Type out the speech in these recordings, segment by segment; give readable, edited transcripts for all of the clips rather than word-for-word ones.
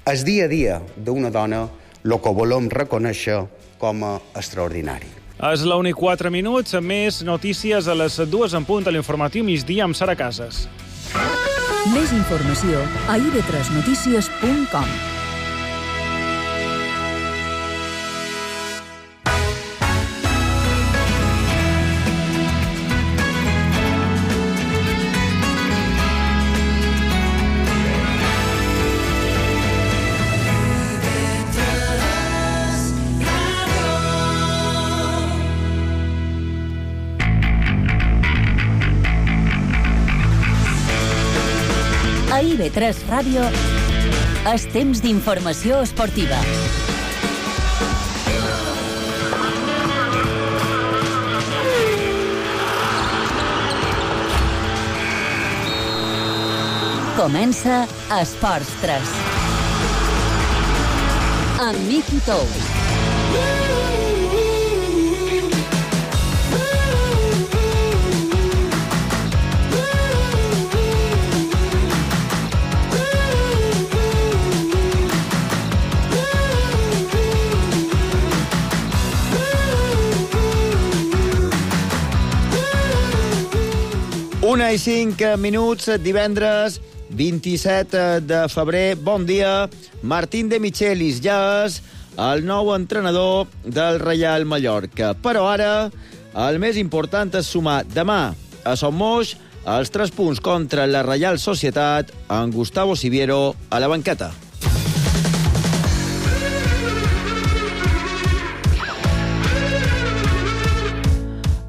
El dia a dia d'una dona el que volem reconèixer com a extraordinari. És la 1:04, més notícies a les 2 en punt a l'informatiu migdia amb Sara Casas. Més informació a ib3notícies.com. A IB3 Ràdio, és temps d'informació esportiva. Comença Esports 3. Amb Miki Tous. Una i 5 minuts, divendres 27 de febrer. Bon dia. Martín de Michelis ja és el nou entrenador del Reial Mallorca. Però ara el més important és sumar demà a Son Moix els 3 punts contra la Reial Societat amb Gustavo Siviero a la banqueta.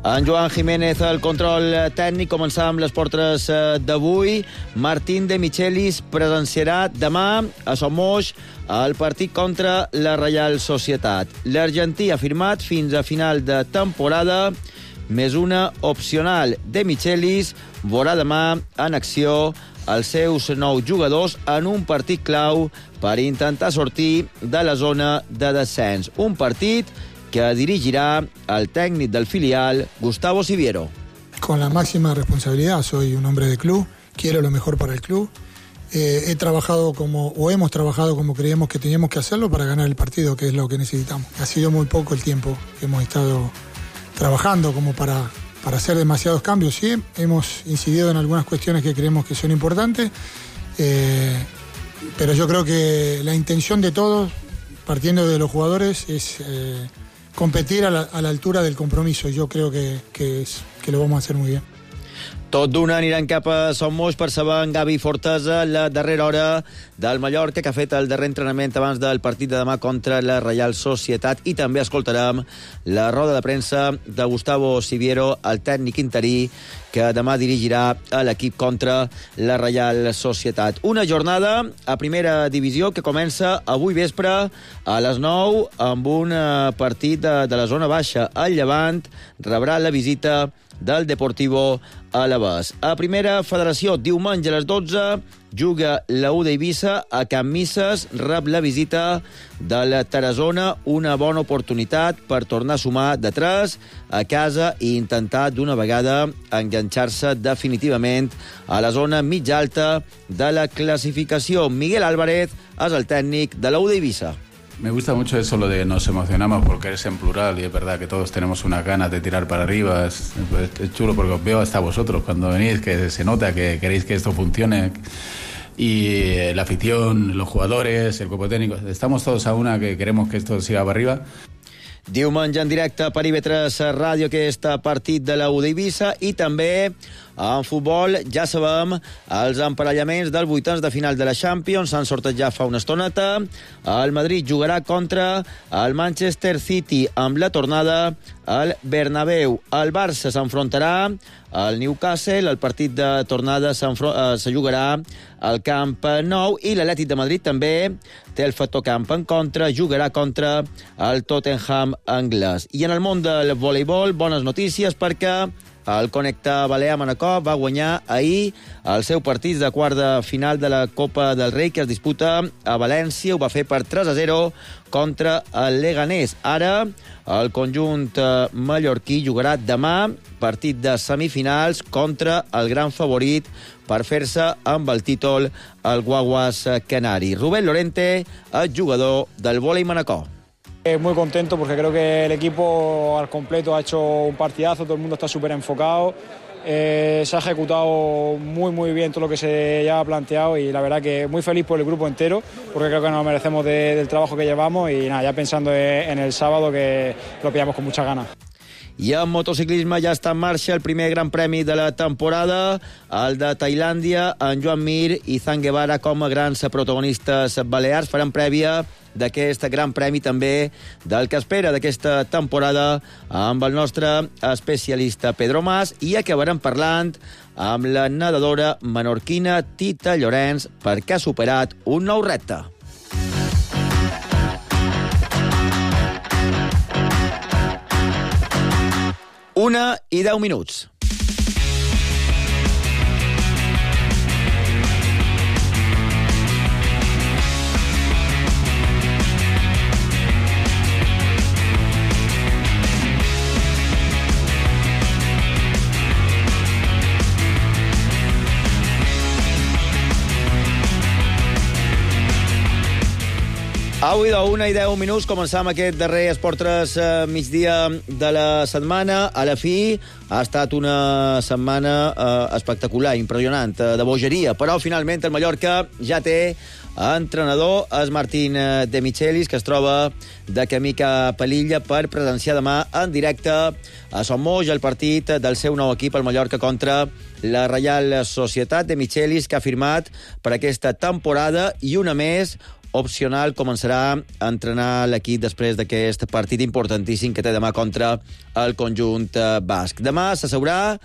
En Joan Jiménez, el control tècnic. Començar amb les portes d'avui. Martín de Michelis presenciarà demà a Son Moix el partit contra la Reial Societat. L'argentí ha firmat fins a final de temporada, més una opcional. De Michelis veurà demà en acció els seus 9 jugadors en un partit clau per intentar sortir de la zona de descens. Un partit que dirigirá al técnico del filial, Gustavo Siviero. Con la máxima responsabilidad, soy un hombre de club, quiero lo mejor para el club. Hemos trabajado como creíamos que teníamos que hacerlo para ganar el partido, que es lo que necesitamos. Ha sido muy poco el tiempo que hemos estado trabajando como para hacer demasiados cambios. Sí, hemos incidido en algunas cuestiones que creemos que son importantes, pero yo creo que la intención de todos, partiendo de los jugadores, es competir a la altura del compromiso. Yo creo que lo vamos a hacer muy bien. Tot d'una aniran cap a Son Moix per saber en Gavi Fortesa la darrera hora del Mallorca, que ha fet el darrer entrenament abans del partit de demà contra la Reial Societat, i també escoltarem la roda de premsa de Gustavo Siviero, el tècnic interí, que demà dirigirà a l'equip contra la Reial Societat. Una jornada a primera divisió que comença avui vespre a les 9 amb un partit de la zona baixa. El Llevant rebrà la visita del Deportivo Alavés. A primera federació, diumenge a les 12, juga la U d'Eivissa a Can Misses, rep la visita de la Tarazona, una bona oportunitat per tornar a sumar de 3 a casa i intentar d'una vegada enganxar-se definitivament a la zona mitja alta de la classificació. Miguel Álvarez és el tècnic de la U d'Eivissa. Me gusta mucho eso, lo de nos emocionamos porque es en plural y es verdad que todos tenemos unas ganas de tirar para arriba. Es chulo porque os veo hasta vosotros cuando venís, que se nota que queréis que esto funcione. Y la afición, los jugadores, el cuerpo técnico, estamos todos a una que queremos que esto siga para arriba. Diumenge en directe per IB3 Ràdio aquest partit de la U d'Eivissa, i també en futbol ja sabem els emparellaments dels vuitens de final de la Champions. S'han sortit ja fa una estoneta. El Madrid jugarà contra el Manchester City amb la tornada al Bernabéu. El Barça s'enfrontarà al Newcastle. El partit de tornada se jugarà al Camp Nou, i l'Atlètic de Madrid també té el factor camp en contra, jugarà contra el Tottenham anglès. I en el món del voleibol, bones notícies, perquè El Connecta Balear Manacor va guanyar ahir el seu partit de quart de final de la Copa del Rei, que es disputa a València. Ho va fer per 3-0 contra el Leganés. Ara el conjunt mallorquí jugarà demà partit de semifinals contra el gran favorit per fer-se amb el títol el Guaguas Canari. Rubén Lorente, el jugador del vòlei Manacor. Muy contento porque creo que el equipo al completo ha hecho un partidazo, todo el mundo está súper enfocado, se ha ejecutado muy bien todo lo que se ya ha planteado y la verdad que muy feliz por el grupo entero porque creo que nos merecemos del trabajo que llevamos y nada, ya pensando en el sábado que lo pillamos con muchas ganas. I en motociclisme ja està en marxa el primer gran premi de la temporada, el de Tailàndia. En Joan Mir i Zhang Guevara, com a grans protagonistes balears, faran prèvia d'aquest gran premi, també del que espera d'aquesta temporada, amb el nostre especialista Pedro Mas, i acabarem parlant amb la nedadora menorquina Tita Llorenç, perquè ha superat un nou repte. 1:10. Avui de 1:10 començam aquest darrer Esport 3 migdia de la setmana. A la fi ha estat una setmana espectacular, impressionant, de bogeria, però finalment el Mallorca ja té entrenador, és Martín De Michelis, que es troba de camí cap a l'illa per presenciar demà en directe a Sommoix el partit del seu nou equip, el Mallorca, contra la Reial Societat. De Michelis, que ha firmat per aquesta temporada i una més opcional, començarà a entrenar l'equip després d'aquest partit importantíssim que té demà contra el conjunt basc. Demà s'asseurà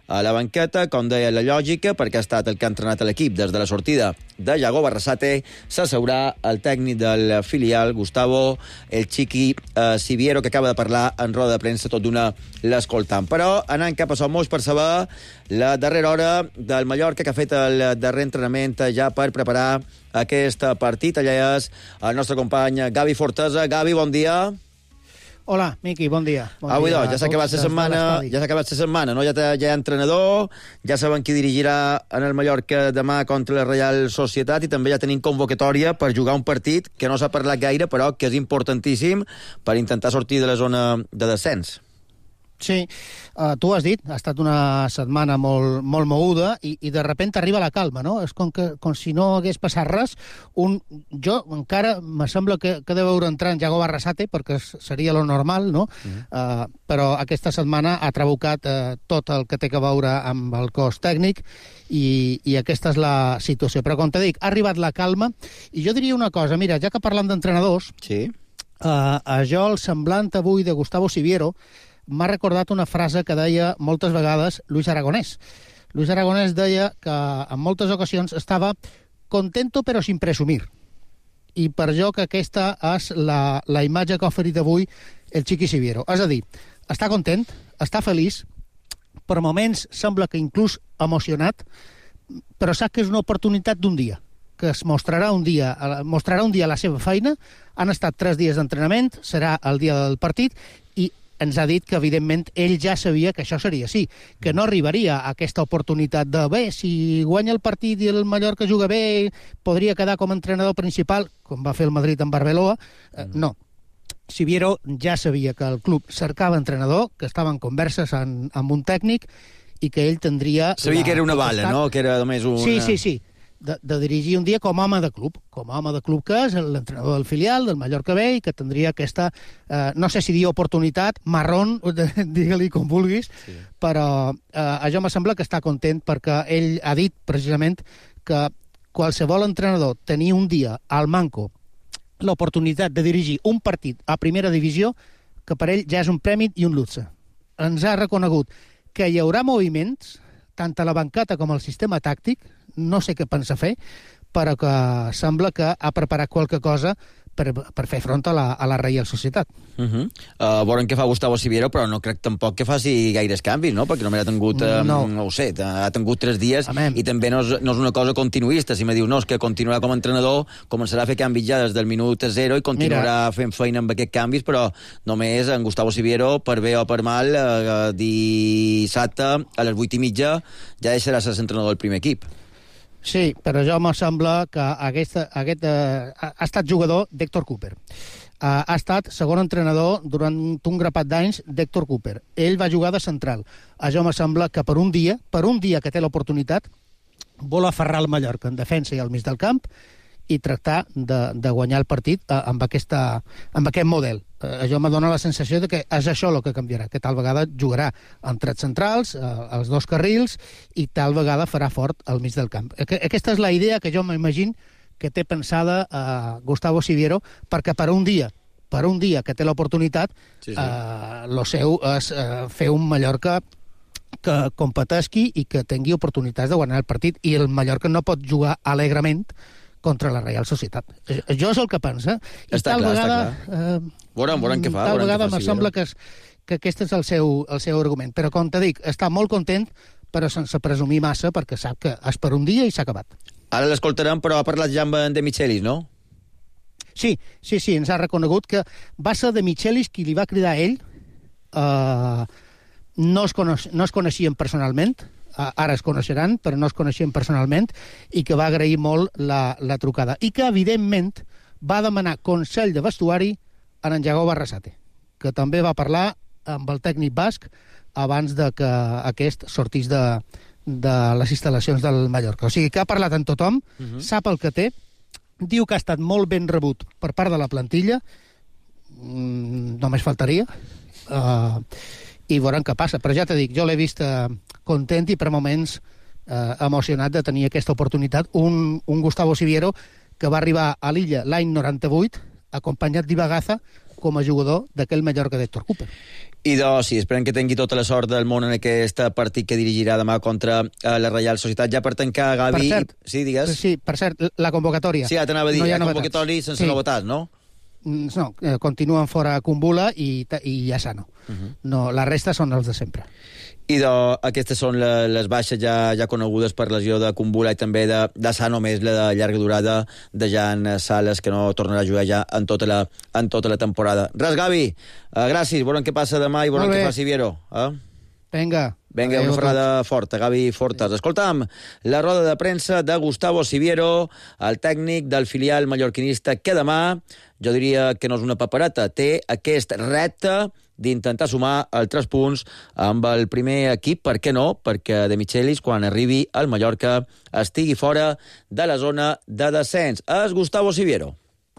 a la banqueta, com deia la lògica, perquè ha estat el que ha entrenat l'equip des de la sortida de Yago Barrasate. S'asseurà el tècnic del filial, Gustavo El Chiqui Siviero, que acaba de parlar en roda de premsa, tot d'una l'escoltant. Però anant cap a Sommoix per saber la darrera hora del Mallorca, que ha fet el darrer entrenament ja per preparar aquest partit. Allà és el nostre company Gavi Fortesa. Gavi, bon dia. Hola, Miqui, bon dia. Avui doncs, ja s'ha acabat la setmana, no? Ja hi ha entrenador, ja saben qui dirigirà en el Mallorca demà contra la Reial Societat i també ja tenim convocatòria per jugar un partit que no s'ha parlat gaire, però que és importantíssim per intentar sortir de la zona de descens. Sí, tu has dit, ha estat una setmana molt moguda i de repente arriba la calma, no? És com si no hagués passat res. Jo encara me sembla que he de veure entrar en Yago Barrasate, perquè seria lo normal, no? Però aquesta setmana ha trabucat tot el que té que veure amb el cos tècnic i aquesta és la situació. Però com te dic, ha arribat la calma i jo diria una cosa, mira, ja que parlem d'entrenadors, sí. Jo el semblant avui de Gustavo Siviero m'ha recordat una frase que deia moltes vegades Luis Aragonés. Luis Aragonés deia que en moltes ocasions estava contento però sin presumir. I per jo que aquesta és la imatge que ha oferit avui el Chiqui Siviero. És a dir, està content, està feliç, per moments sembla que inclús emocionat, però sap que és una oportunitat d'un dia, que es mostrarà un dia la seva feina. Han estat 3 dies d'entrenament, serà el dia del partit, i ens ha dit que, evidentment, ell ja sabia que això seria així, que no arribaria a aquesta oportunitat de, bé, si guanya el partit i el Mallorca juga bé, podria quedar com a entrenador principal, com va fer el Madrid amb Arbeloa. No. Siviero ja sabia que el club cercava entrenador, que estava en converses amb un tècnic i que ell tindria... Sabia que era una bala, no? Que era només una... Sí. De dirigir un dia com a home de club. Com a home de club que és l'entrenador del filial, del Mallorca B, i que tindria aquesta, no sé si dir oportunitat, marrón, digue-li com vulguis, sí. Però això me sembla que està content perquè ell ha dit precisament que qualsevol entrenador tenir un dia al manco l'oportunitat de dirigir un partit a primera divisió, que per ell ja és un premi i un luxe. Ens ha reconegut que hi haurà moviments, tant a la banqueta com al sistema tàctic, no sé què pensa fer, però que sembla que ha preparat qualque cosa per fer front a la Reial Societat. Veurem què fa Gustavo Siviero, però no crec tampoc que faci gaires canvis, no? Perquè només ha tingut, no ho sé, ha tingut 3 dies i també no és una cosa continuista. Si me diu, no, és que continuarà com a entrenador, començarà a fer canvis ja des del minut 0 i continuarà fent feina amb aquests canvis, però només en Gustavo Siviero, per bé o per mal, dissabte a les 8:30 ja deixarà ser entrenador del primer equip. Sí, però jo me sembla que aquest ha estat jugador d'Héctor Cooper. Ha estat segon entrenador durant un grapat d'anys d'Héctor Cooper. Ell va jugar de central. Jo me sembla que per un dia que té l'oportunitat, vol aferrar el Mallorca en defensa i al mig del camp i tractar de guanyar el partit amb aquest model. Jo me dóna la sensació de que és això el que canviarà, que tal vegada jugarà amb 3 centrals, els 2 carrils, i tal vegada farà fort al mig del camp. Aquesta és la idea que jo m'imagino que té pensada Gustavo Siviero, perquè per un dia que té l'oportunitat, lo seu és fer un Mallorca que competesqui i que tingui oportunitats de guanyar el partit, i el Mallorca no pot jugar alegrement contra la Reial Societat. Jo és el que pensa. I tal vegada... Veurem què fa. Tal vegada me sembla que aquest és el seu argument. Però, com te dic, està molt content, però sense presumir massa, perquè sap que és per un dia i s'ha acabat. Ara l'escoltarem, però ha parlat ja amb De Michelis, no? Sí, ens ha reconegut que va ser De Michelis qui li va cridar a ell. No es coneixien personalment, ara es coneixeran, però no es coneixien personalment, i que va agrair molt la trucada. I que, evidentment, va demanar consell de vestuari a en Yago Barrasate, que també va parlar amb el tècnic basc abans de que aquest sortís de les instal·lacions del Mallorca. O sigui, que ha parlat amb tothom, sap el que té, diu que ha estat molt ben rebut per part de la plantilla, només faltaria, i veurem què passa. Però ja t'he dit, jo l'he vist content i per moments emocionat de tenir aquesta oportunitat. Un Gustavo Siviero que va arribar a l'illa l'any 98, acompanyat d'Ibagaza com a jugador d'aquell Mallorca d'Héctor Cooper. I doncs, sí, esperem que tingui tota la sort del món en aquest partit que dirigirà demà contra la Reial Societat. Ja per tancar, Gavi... Per cert, sí, digues. Sí, per cert, la convocatòria. Sí, ja t'anava a dir, la convocatòria sense novetats, no? No, continuen fora Kumbula i Yassano. No, la resta són els de sempre. I aquestes són les baixes ja conegudes per lesió de Kumbula i també de Sano, més la de llarga durada de Jan Sales, que no tornarà a jugar ja en tota la temporada. Res, Gavi, gràcies, veurem què passa demà i veurem què fa Siviero. Vinga, una ferrada forta, Gavi Fortes. Escolta'm, la roda de premsa de Gustavo Siviero, el tècnic del filial mallorquinista, que demà, jo diria que no és una papereta, té aquest repte d'intentar sumar els 3 punts amb el primer equip. Per què no? Perquè De Michelis, quan arribi al Mallorca, estigui fora de la zona de descens. És Gustavo Siviero.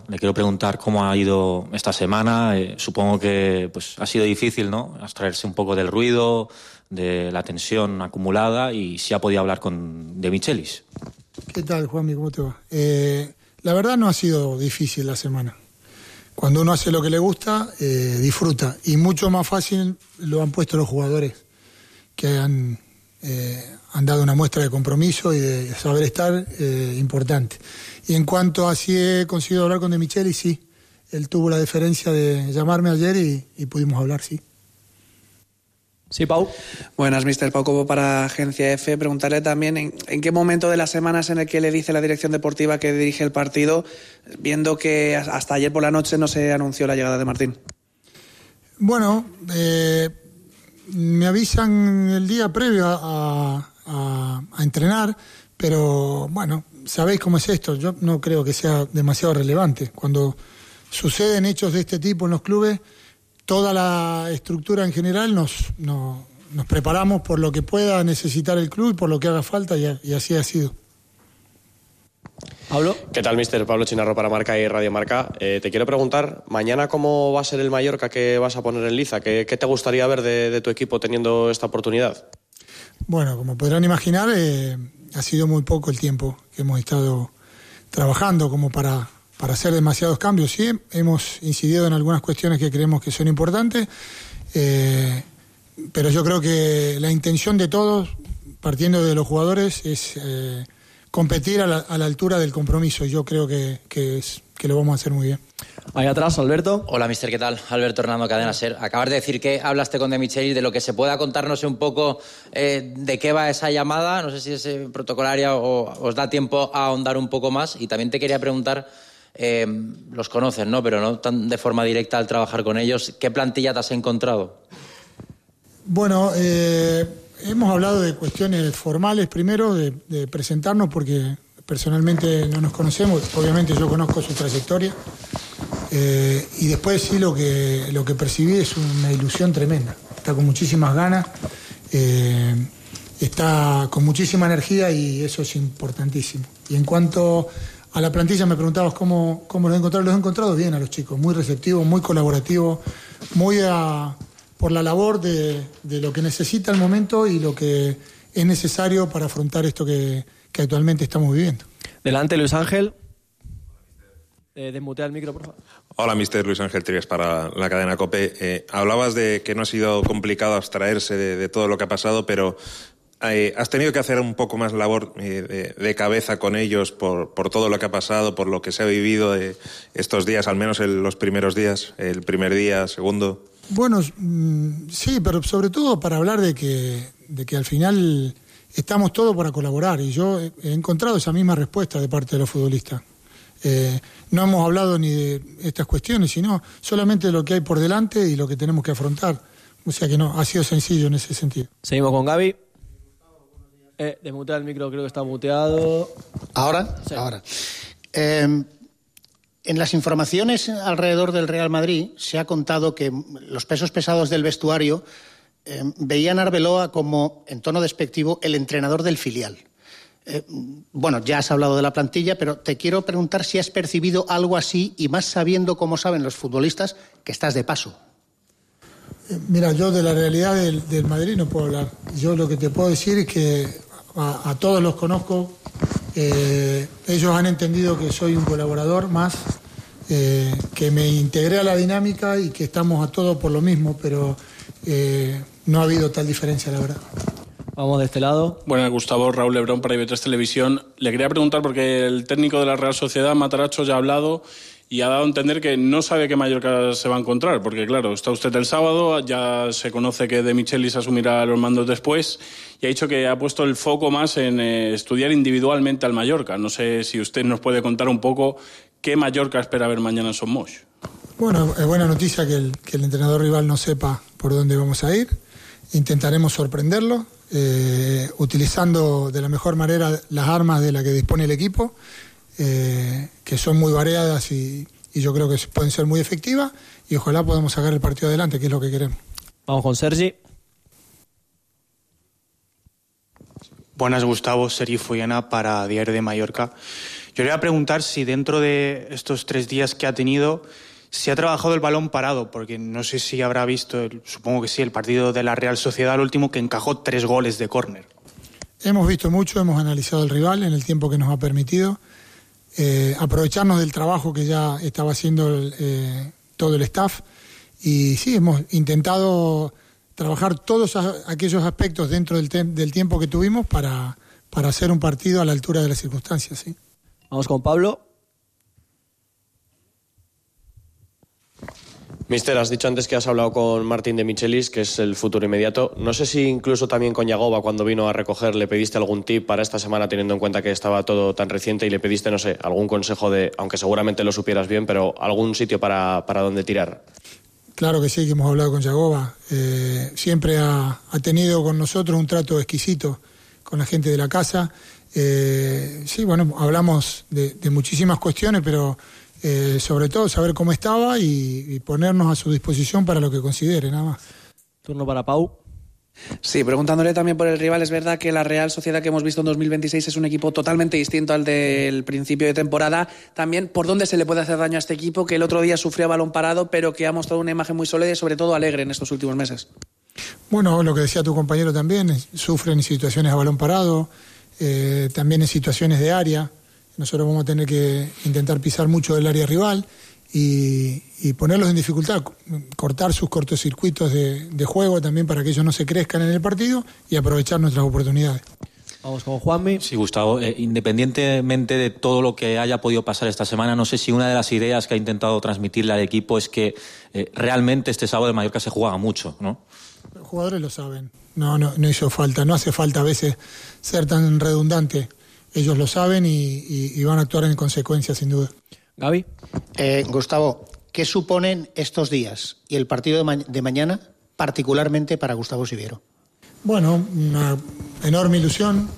Le quiero preguntar cómo ha ido esta semana. Supongo que ha sido difícil, ¿no? Abstraerse un poco del ruido, de la tensión acumulada, y si ha podido hablar con De Michelis. ¿Qué tal, Juanmi? ¿Cómo te va? La verdad no ha sido difícil la semana. Cuando uno hace lo que le gusta, disfruta. Y mucho más fácil lo han puesto los jugadores, que han dado una muestra de compromiso y de saber estar importante. Y en cuanto a si he conseguido hablar con De Michelis, sí. Él tuvo la deferencia de llamarme ayer y pudimos hablar, sí. Sí, Pau. Buenas, mister. Pau Cobo para Agencia F. Preguntarle también en qué momento de la semana es en el que le dice la dirección deportiva que dirige el partido, viendo que hasta ayer por la noche no se anunció la llegada de Martín. Bueno, me avisan el día previo a entrenar, pero bueno, sabéis cómo es esto. Yo no creo que sea demasiado relevante. Cuando suceden hechos de este tipo en los clubes, toda la estructura en general nos preparamos por lo que pueda necesitar el club y por lo que haga falta, y así ha sido. Pablo. ¿Qué tal, mister? Pablo Chinarro para Marca y Radio Marca. Te quiero preguntar, mañana cómo va a ser el Mallorca que vas a poner en liza. ¿Qué te gustaría ver de tu equipo teniendo esta oportunidad? Bueno, como podrán imaginar, ha sido muy poco el tiempo que hemos estado trabajando como para hacer demasiados cambios. Sí, hemos incidido en algunas cuestiones que creemos que son importantes, pero yo creo que la intención de todos, partiendo de los jugadores, es competir a la altura del compromiso. Yo creo que lo vamos a hacer muy bien. Ahí atrás, Alberto. Hola, mister, ¿qué tal? Alberto Hernando, Cadena SER. Acabas de decir que hablaste con De Michelis, de lo que se pueda contarnos un poco de qué va esa llamada. No sé si es protocolaria o os da tiempo a ahondar un poco más. Y también te quería preguntar, los conoces, ¿no? Pero no tan de forma directa al trabajar con ellos. ¿Qué plantilla te has encontrado? Bueno, hemos hablado de cuestiones formales primero, de presentarnos, porque personalmente no nos conocemos. Obviamente yo conozco su trayectoria. Y después sí lo que percibí es una ilusión tremenda. Está con muchísimas ganas, está con muchísima energía y eso es importantísimo. Y en cuanto a la plantilla me preguntabas cómo los he encontrado. Los he encontrado bien a los chicos, muy receptivos, muy colaborativos, muy por la labor de lo que necesita el momento y lo que es necesario para afrontar esto que actualmente estamos viviendo. Delante, Luis Ángel. Desmutea el micro, por favor. Hola, mister Luis Ángel Trias para la cadena COPE. Hablabas de que no ha sido complicado abstraerse de todo lo que ha pasado, pero has tenido que hacer un poco más labor de cabeza con ellos por todo lo que ha pasado, por lo que se ha vivido estos días, al menos en los primeros días, el primer día, segundo. Bueno, sí, pero sobre todo para hablar de que al final estamos todos para colaborar, y yo he encontrado esa misma respuesta de parte de los futbolistas. No hemos hablado ni de estas cuestiones, sino solamente de lo que hay por delante y lo que tenemos que afrontar. O sea que no, ha sido sencillo en ese sentido. Seguimos con Gaby. Desmutea el micro, creo que está muteado. ¿Ahora? Sí. Ahora. En las informaciones alrededor del Real Madrid se ha contado que los pesos pesados del vestuario veían a Arbeloa como, en tono despectivo, el entrenador del filial. Bueno, ya has hablado de la plantilla, pero te quiero preguntar si has percibido algo así, y más sabiendo cómo saben los futbolistas que estás de paso. Mira, yo de la realidad del Madrid no puedo hablar. Yo lo que te puedo decir es que a todos los conozco. Ellos han entendido que soy un colaborador más, que me integré a la dinámica y que estamos a todos por lo mismo, pero no ha habido tal diferencia, la verdad. Vamos de este lado. Bueno, Gustavo, Raúl Lebrón para IB3 Televisión. Le quería preguntar, porque el técnico de la Real Sociedad, Matarazzo, ya ha hablado y ha dado a entender que no sabe qué Mallorca se va a encontrar, porque claro, está usted el sábado, ya se conoce que De Michelis asumirá los mandos después, y ha dicho que ha puesto el foco más en estudiar individualmente al Mallorca. No sé si usted nos puede contar un poco qué Mallorca espera ver mañana en Son Moix. Bueno, es buena noticia que el entrenador rival no sepa por dónde vamos a ir. Intentaremos sorprenderlo, utilizando de la mejor manera las armas de las que dispone el equipo, que son muy variadas y yo creo que pueden ser muy efectivas, y ojalá podamos sacar el partido adelante, que es lo que queremos. Vamos con Sergi. Buenas, Gustavo, Sergi Follana para Diario de Mallorca. Yo le voy a preguntar si dentro de estos 3 días que ha tenido, si ha trabajado el balón parado, porque no sé si habrá visto, supongo que sí, el partido de la Real Sociedad, el último, que encajó 3 goles de córner. Hemos visto mucho, hemos analizado el rival en el tiempo que nos ha permitido, aprovecharnos del trabajo que ya estaba haciendo todo el staff, y sí, hemos intentado trabajar todos aquellos aspectos dentro del tiempo que tuvimos para hacer un partido a la altura de las circunstancias. ¿Sí? Vamos con Pablo. Mister, has dicho antes que has hablado con Martín De Michelis, que es el futuro inmediato. No sé si incluso también con Yagoba, cuando vino a recoger, le pediste algún tip para esta semana, teniendo en cuenta que estaba todo tan reciente, y le pediste, no sé, algún consejo aunque seguramente lo supieras bien, pero algún sitio para dónde tirar. Claro que sí, que hemos hablado con Yagoba. Siempre ha tenido con nosotros un trato exquisito con la gente de la casa. Sí, bueno, hablamos de muchísimas cuestiones, pero sobre todo saber cómo estaba y ponernos a su disposición para lo que considere, nada más. Turno para Pau. Sí, preguntándole también por el rival, es verdad que la Real Sociedad que hemos visto en 2026 es un equipo totalmente distinto al del principio de temporada. También, ¿por dónde se le puede hacer daño a este equipo que el otro día sufrió balón parado, pero que ha mostrado una imagen muy sólida y sobre todo alegre en estos últimos meses? Bueno, lo que decía tu compañero también, sufren en situaciones a balón parado, también en situaciones de área. Nosotros vamos a tener que intentar pisar mucho del área rival y ponerlos en dificultad, cortar sus cortocircuitos de juego también para que ellos no se crezcan en el partido y aprovechar nuestras oportunidades. Vamos con Juanmi. Sí, Gustavo, independientemente de todo lo que haya podido pasar esta semana, no sé si una de las ideas que ha intentado transmitirle al equipo es que realmente este sábado en Mallorca se jugaba mucho, ¿no? Los jugadores lo saben. No hizo falta. No hace falta a veces ser tan redundante. Ellos lo saben y van a actuar en consecuencia, sin duda. Gaby. Gustavo, ¿qué suponen estos días y el partido de mañana, particularmente para Gustavo Siviero? Bueno, una enorme ilusión,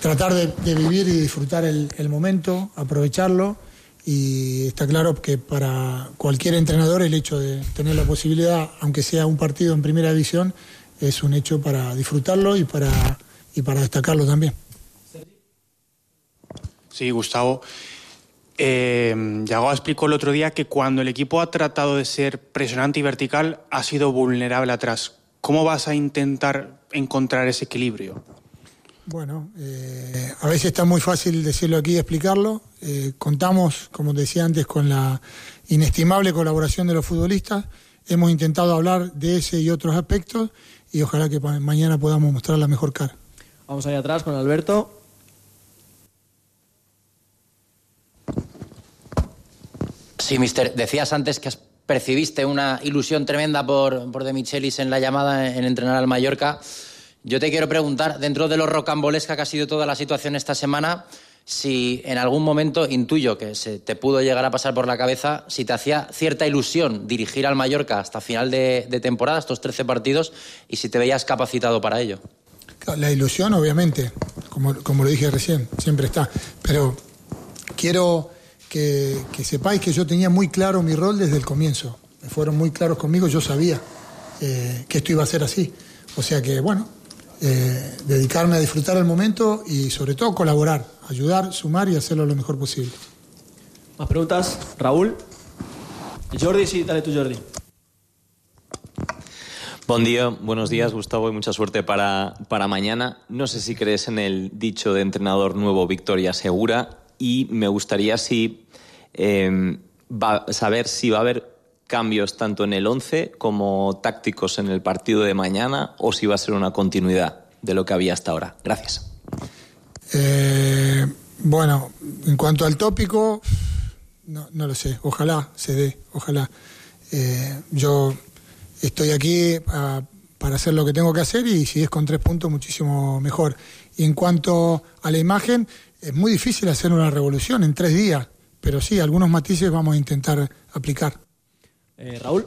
tratar de vivir y disfrutar el momento, aprovecharlo, y está claro que para cualquier entrenador el hecho de tener la posibilidad, aunque sea un partido en primera división, es un hecho para disfrutarlo y para destacarlo también. Sí, Gustavo. Yago explicó el otro día que cuando el equipo ha tratado de ser presionante y vertical, ha sido vulnerable atrás. ¿Cómo vas a intentar encontrar ese equilibrio? Bueno, a veces está muy fácil decirlo aquí y explicarlo. Contamos, como decía antes, con la inestimable colaboración de los futbolistas. Hemos intentado hablar de ese y otros aspectos y ojalá que mañana podamos mostrar la mejor cara. Vamos allá atrás con Alberto. Sí, mister, decías antes que percibiste una ilusión tremenda por De Michelis en la llamada en entrenar al Mallorca. Yo te quiero preguntar, dentro de lo rocambolesca que ha sido toda la situación esta semana, si en algún momento, intuyo que se te pudo llegar a pasar por la cabeza, si te hacía cierta ilusión dirigir al Mallorca hasta final de temporada, estos 13 partidos, y si te veías capacitado para ello. La ilusión, obviamente, como lo dije recién, siempre está. Pero quiero que sepáis que yo tenía muy claro mi rol desde el comienzo. Fueron muy claros conmigo, yo sabía que esto iba a ser así. O sea que, bueno, dedicarme a disfrutar el momento y sobre todo colaborar, ayudar, sumar y hacerlo lo mejor posible. ¿Más preguntas? Raúl. Jordi, sí, dale tú, Jordi. Buen día, buenos días, Gustavo, y mucha suerte para mañana. No sé si crees en el dicho de entrenador nuevo, victoria segura, y me gustaría saber si va a haber cambios tanto en el 11 como tácticos en el partido de mañana, o si va a ser una continuidad de lo que había hasta ahora. Gracias. Bueno, en cuanto al tópico, no lo sé. Ojalá se dé, ojalá. Yo estoy aquí para hacer lo que tengo que hacer y si es con 3 puntos, muchísimo mejor. Y en cuanto a la imagen, es muy difícil hacer una revolución en 3 días, pero sí, algunos matices vamos a intentar aplicar. Raúl.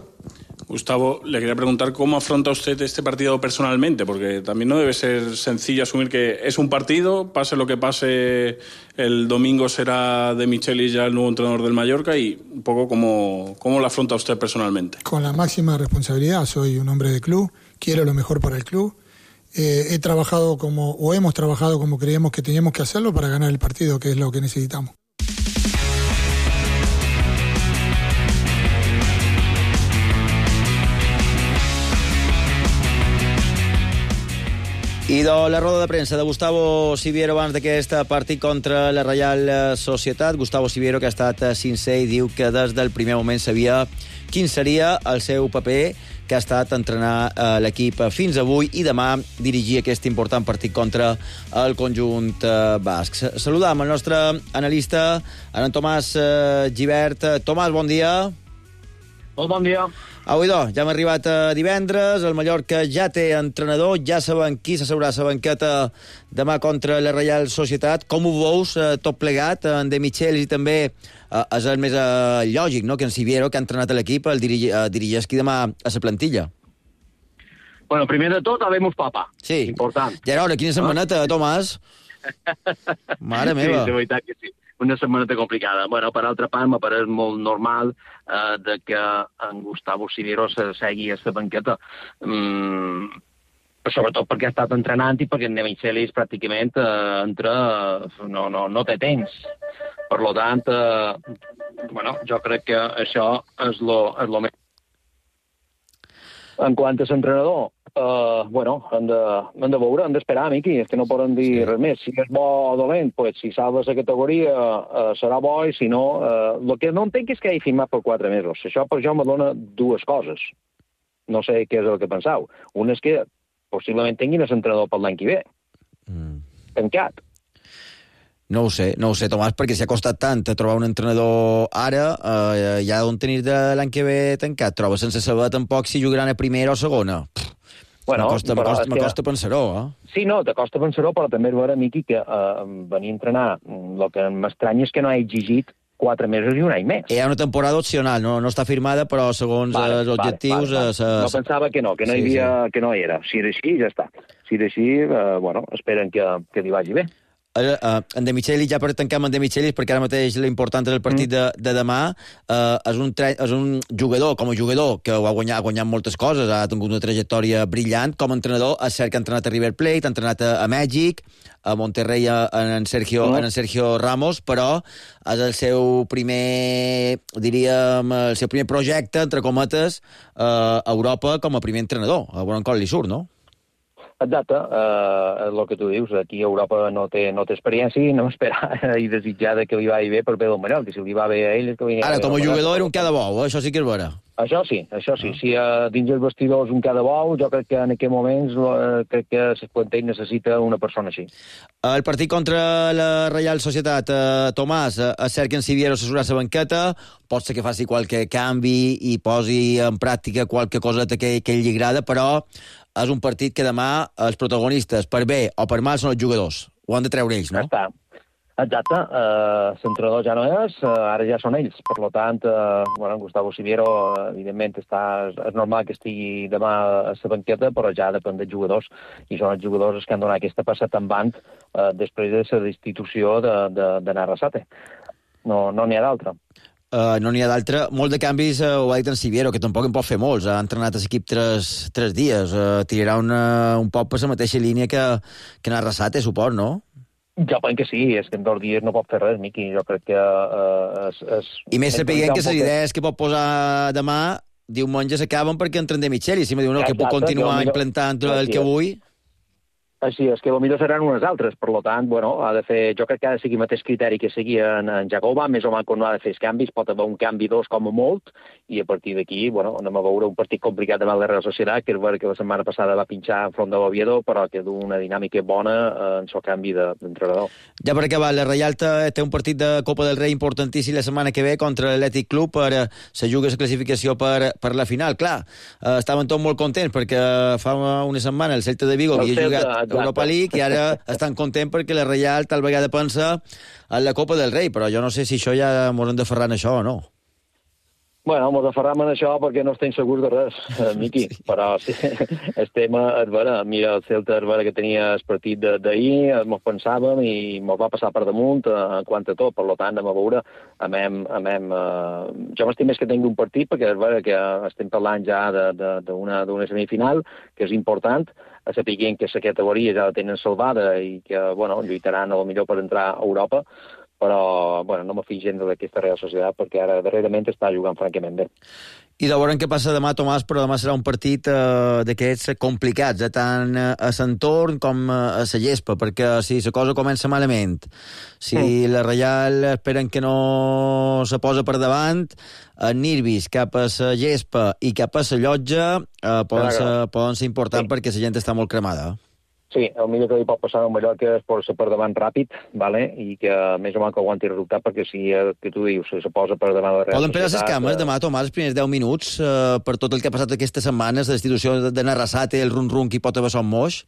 Gustavo, le quería preguntar cómo afronta usted este partido personalmente, porque también no debe ser sencillo asumir que es un partido, pase lo que pase, el domingo será De Michelis ya el nuevo entrenador del Mallorca, y un poco cómo lo afronta usted personalmente. Con la máxima responsabilidad, soy un hombre de club, quiero lo mejor para el club, hemos trabajado como creíamos que teníamos que hacerlo para ganar el partido, que es lo que necesitamos. I de la roda de premsa de Gustavo Siviero abans d'aquest partit contra la Reial Societat. Gustavo Siviero, que ha estat sincer i diu que des del primer moment sabia quin seria el seu paper, que ha estat entrenar l'equip fins avui i demà dirigir aquest important partit contra el conjunt basc. Saludam el nostre analista, en Tomàs Gibert. Tomàs, bon dia. Molt bon dia. Au, idò, ja hem arribat a divendres, el Mallorca ja té entrenador, ja saben qui s'asseurà a la banqueta demà contra la Reial Societat. Com ho veus tot plegat? En De Michelis i també és el més lògic, no?, que en Siviero, que ha entrenat l'equip, el dirigeixi demà a la plantilla. Bueno, primer de tot, habemos papa. Sí. Important. Ja era hora, quina setmaneta, Tomàs. Mare meva. Sí, de veritat que sí. Una setmaneta complicada. Bueno, per altra part, m'ha pareix molt normal de que en Gustavo Siviero segui a la banqueta. Sobretot perquè ha estat entrenant i perquè en De Michelis pràcticament no té temps. Per tant, bueno, jo crec que això és lo més. En quant a l'entrenador, bueno, hem de veure, hem d'esperar, Miqui, és que no poden dir res més. Si és bo o dolent, pues, si salva la categoria serà bo, i si no... El que no entenc és que hagi firmat per 4 mesos. Això per jo me dona 2 coses. No sé què és el que penseu. Una és que possiblement tinguin l'entrenador per l'any que ve. Tancat. No ho sé, Tomàs, perquè s'ha costat tant trobar un entrenador ara, ja on tenir de l'any que ve tancat. Troba sense saber tampoc si jugaran a primera o segona. Bueno, m'acosta pensar-ho, Sí, no, t'acosta pensar-ho, però també és vera, Miqui, que venir a entrenar, el que m'estranya és que no ha exigit 4 mesos i un any més. Hi ha una temporada opcional, no està firmada, però segons els objectius... No pensava que no hi havia, que no hi era. Si era així, ja està. Si era així, esperen que li vagi bé. En De Michelis, ja per tancar amb en De Michelis, perquè ara mateix l'important és el partit de demà, és un jugador, com a jugador, que ha guanyat moltes coses, ha tingut una trajectòria brillant. Com a entrenador, és cert que ha entrenat a River Plate, ha entrenat a Mèxic, a Monterrey en Sergio Ramos, però és el seu primer, diríem, el seu primer projecte, entre cometes, a Europa com a primer entrenador. A veure com li surt, no? Exacte, és el que tu dius, aquí a Europa no té experiència i no esperar i desitjar que li vagi bé per bé del Manel, que si li va bé a ell... Ara, com a jugador era un cada bou, això sí que és vera. Això sí. Si dins els vestidors un cada bou, jo crec que en aquests moments crec que l'Esplanter necessita una persona així. El partit contra la Reial Societat, Tomàs, és cert que en Siviero s'assurà la banqueta, pot ser que faci qualque canvi i posi en pràctica qualque coseta que ell li agrada, però és un partit que demà els protagonistes, per bé o per mal, són els jugadors. Ho han de treure ells, no? Exacte. L'entrenador ja no és, ara ja són ells. Per tant, Gustavo Siviero, evidentment, és normal que estigui demà a la banqueta, però ja depèn dels jugadors. I són els jugadors que han donat aquesta passada en band després de la destitució de Arrasate. No n'hi ha d'altra. No n'hi ha d'altre. Molt de canvis ho ha dit en Siviero, que tampoc en pot fer molts. Ha entrenat l'equip 3 dies. Tirarà un poc per la mateixa línia que en Arrasate, suport, no? Jo penso que sí, és que en 2 dies no pot fer res, Miqui. Jo crec que I més sapiguent que les idees que pot posar demà diumenge s'acaben perquè entren De Michelis. Si me diu que puc continuar implantant el que vull... Així és, que potser seran unes altres. Per tant, ha de fer... Jo crec que ha de seguir el mateix criteri que seguia en Jacoba, més o menys quan no ha de fer els canvis, pot haver un canvi 2 com a molt, i a partir d'aquí, anem a veure un partit complicat davant la Real Societat, que és vera que la setmana passada va pinxar enfront de l'Oviedo, però que du una dinàmica bona en el canvi d'entrenador. Ja per acabar, la Reial té un partit de Copa del Rei importantíssim la setmana que ve contra l'Atlètic Club per se juga la classificació per la final. Clar, estaven tots molt contents perquè fa una setmana el Celta de Vigo havia jugat Europa League i ara estan contents perquè la Reial tal vegada pensa en la Copa del Rei, però jo no sé si això ja m'ho hem de ferrar en això o no. Ens aferram en això perquè no estem segurs de res, Miqui, però sí, estem, és vera, mira, el Celta és vera que tenia el partit d'ahir, ens pensàvem i ens va passar per damunt en quant a tot, per tant, anem a veure, jo m'estim més que tingui un partit, perquè és vera que estem parlant ja d'una semifinal, que és important, a saber que la categoria ja la tenen salvada i que, lluitaran a lo millor per entrar a Europa, però no me fijo gens d'aquesta Real Societat perquè ara darrerament està jugant francament bé. I de veure què passa demà, Tomàs, però demà serà un partit d'aquests complicats, tant a l'entorn com a la gespa, perquè si la cosa comença malament, si la Reial esperen que no se posa per davant, en nervis cap a la gespa i cap a la llotja poden ser importants perquè la gent està molt cremada. Sí, el millor que li pot passar a Mallorca és posar-se per davant ràpid, i que més o menys que aguanti el resultat, perquè si que tu dius, se posa per davant la Real Societat... Poden pelar les cames demà, Tomàs, els primers 10 minuts, per tot el que ha passat aquestes setmanes, la destitució de Arrasate, el run-run que hi pot haver son moix?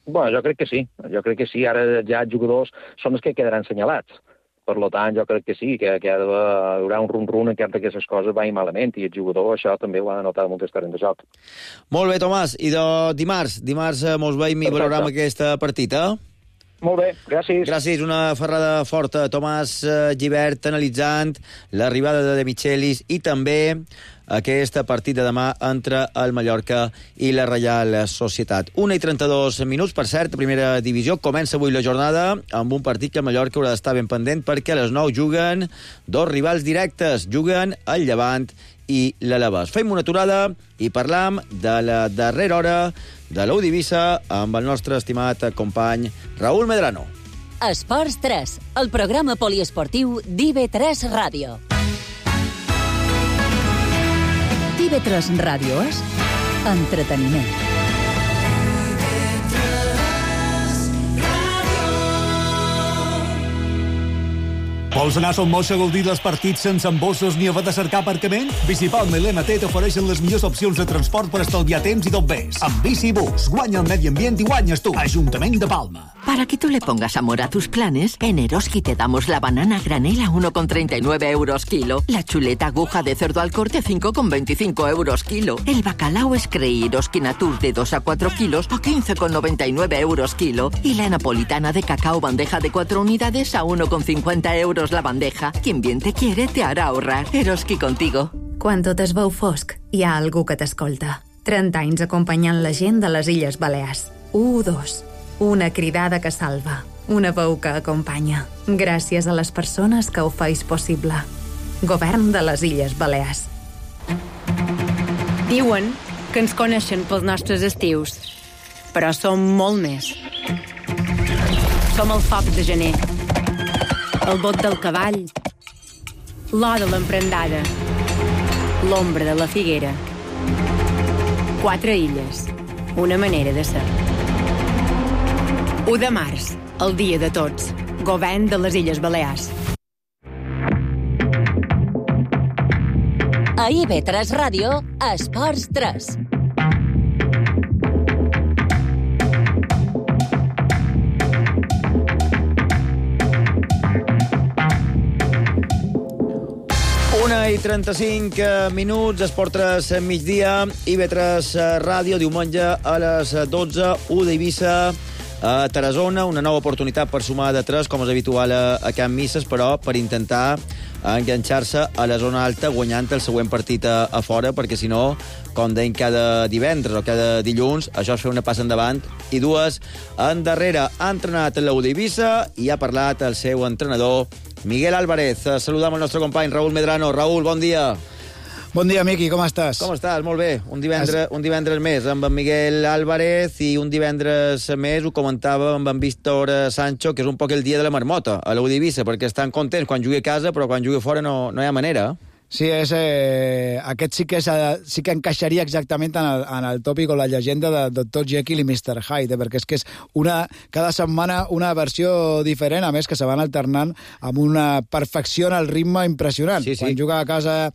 Jo crec que sí. Ara ja els jugadors són els que quedaran senyalats. Per tant, jo crec que sí, que hi haurà un run-run en cas que les coses vagin malament, i el jugador això també ho ha de notar molt terreny de joc. Molt bé, Tomàs. I dimarts mos veiem i valorem aquesta partida. Molt bé, gràcies. Gràcies, una ferrada forta. Tomàs Gibert analitzant l'arribada de Michelis i també aquesta partida demà entre el Mallorca i la Reial Societat. 1:32 minuts, per cert, primera divisió. Comença avui la jornada amb un partit que el Mallorca haurà d'estar ben pendent perquè a les 9 juguen 2 rivals directes. Juguen el Llevant i l'Alavés. Fem una aturada i parlam de la darrera hora de l'U d'Eivissa amb el nostre estimat company Raúl Medrano. Esports 3, el programa poliesportiu d'IV3 Ràdio. IV3 Ràdio és entreteniment. Vols anar a Son Moix a gaudir dels partits sense embossos ni haver de cercar aparcament? Bicipalma i l'MT t'ofereixen les millors opcions de transport per estalviar temps i tot més. Amb Bicibus, guanya el medi ambient i guanyes tu. Ajuntament de Palma. Para que tú le pongas amor a tus planes, en Eroski te damos la banana granel a 1,39 euros kilo, la chuleta aguja de cerdo al corte a 5,25 euros kilo, el bacalao Screi Eroski Natur de 2 a 4 kilos a 15,99 euros kilo y la napolitana de cacao bandeja de 4 unidades a 1,50 euros la bandeja. Quien bien te quiere te hará ahorrar. Eroski contigo. Quan tot es veu fosc, hi ha algú que t'escolta. 30 anys acompanyant la gent de les Illes Balears. 1-2. Una cridada que salva. Una veu que acompanya. Gràcies a les persones que ho feis possible. Govern de les Illes Balears. Diuen que ens coneixen pels nostres estius, però som molt més. Som el foc de gener, el bot del cavall, l'or de l'emprendada, l'ombra de la figuera. 4 illes, una manera de ser. 1 de març, el dia de tots. Govern de les Illes Balears. A IB3 Ràdio, Esports 3. I 35 minuts, Esport 3 migdia, IB3 Ràdio, diumenge a les 12, 1 d'Eivissa, a Tarazona, una nova oportunitat per sumar de 3, com és habitual a Can Misses, però per intentar enganxar-se a la zona alta guanyant el següent partit a fora, perquè si no, com deim cada divendres o cada dilluns, això és fer una passa endavant i 2 endarrere. Ha entrenat l'U d'Eivissa i ha parlat el seu entrenador, Miguel Álvarez. Saludam el nostre company Raúl Medrano. Raúl, bon dia. Bon dia, Miqui, com estàs? Com estàs? Molt bé. Un divendres més amb en Miguel Álvarez i un divendres més ho comentava amb en Víctor Sancho, que és un poc el dia de la marmota a l'U d'Eivissa, perquè estan contents quan jugui a casa, però quan jugui fora no hi ha manera. Sí, aquest sí que encaixaria exactament en el tòpic o la llegenda de Dr. Jekyll i Mr. Hyde, perquè és que és cada setmana una versió diferent, a més que se van alternant amb una perfecció en el ritme impressionant. Sí. Quan juga a casa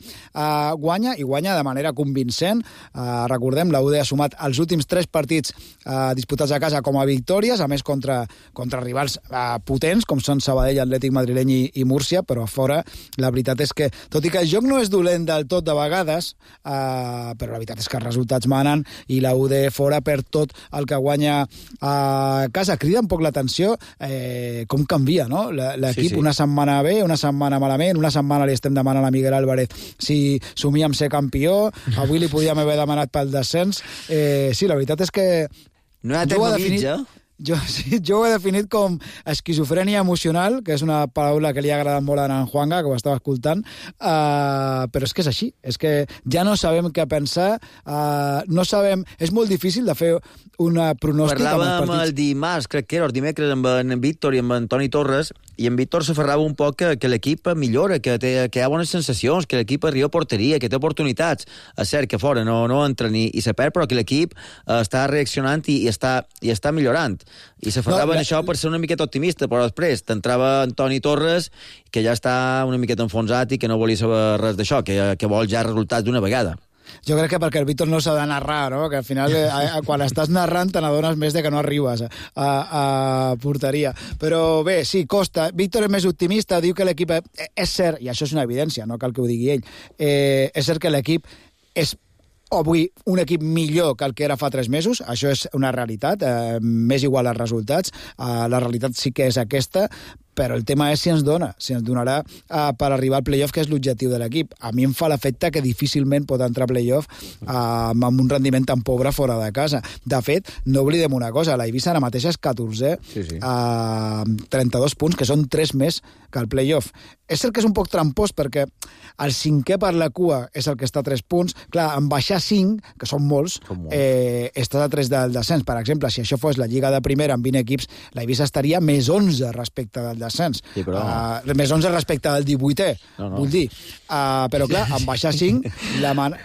guanya, i guanya de manera convincent. Recordem, la UD ha sumat els últims 3 partits disputats a casa com a victòries, a més contra rivals potents, com són Sabadell, Atlètic Madrileny i Múrcia, però a fora la veritat és que, tot i que el joc no és dolent del tot de vegades, però la veritat és que els resultats manen i la UD fora per tot el que guanya a casa. Crida un poc l'atenció com canvia, no? L'equip, sí. Una setmana bé, una setmana malament, una setmana li estem demanant a Miguel Álvarez si somia amb ser campió, avui li podíem haver demanat pel descens. Sí, la veritat és que no hi ha tecnomitja. Jo ho he definit com esquizofrènia emocional, que és una paraula que li ha agradat molt a en Juanga, que ho estava escoltant, però és que és així, és que ja no sabem què pensar, no sabem, és molt difícil de fer una pronòstic. Parlàvem el dimarts, crec que era el dimecres, amb en Víctor i amb en Toni Torres, i en Víctor s'aferrava un poc que l'equip millora, que hi ha bones sensacions, que l'equip arriba a porteria, que té oportunitats. És cert que fora no entra ni se perd, però que l'equip està reaccionant i està millorant. I s'aferrava en això per ser una miqueta optimista, però després t'entrava Antoni Torres, que ja està una miqueta enfonsat i que no volia saber res d'això, que vol ja resultats d'una vegada. Jo crec que perquè el Víctor no s'ha de narrar, no? Que al final, quan estàs narrant, te n'adones més de que no arribes a porteria. Però bé, sí, costa. Víctor és més optimista, diu que l'equip... És cert, i això és una evidència, no cal que ho digui ell, és cert que l'equip és avui un equip millor que el que era fa 3 mesos, això és una realitat, m'és igual els resultats, la realitat sí que és aquesta, però el tema és si ens donarà per arribar al playoff, que és l'objectiu de l'equip. A mi em fa l'efecte que difícilment pot entrar a playoff amb un rendiment tan pobre fora de casa. De fet, no oblidem una cosa, la Eivissa ara mateix és 14, sí. 32 punts, que són 3 més que el playoff. És cert que és un poc trampós, perquè el 5è per la cua és el que està a 3 punts. Clar, en baixar 5, que són molts, estàs a 3 del descens. Per exemple, si això fos la Lliga de Primera amb 20 equips, la Eivissa estaria més 11 respecte del descens. Sí, però... Més 11 respecte al 18è, vull dir. Però clar, en baixar 5,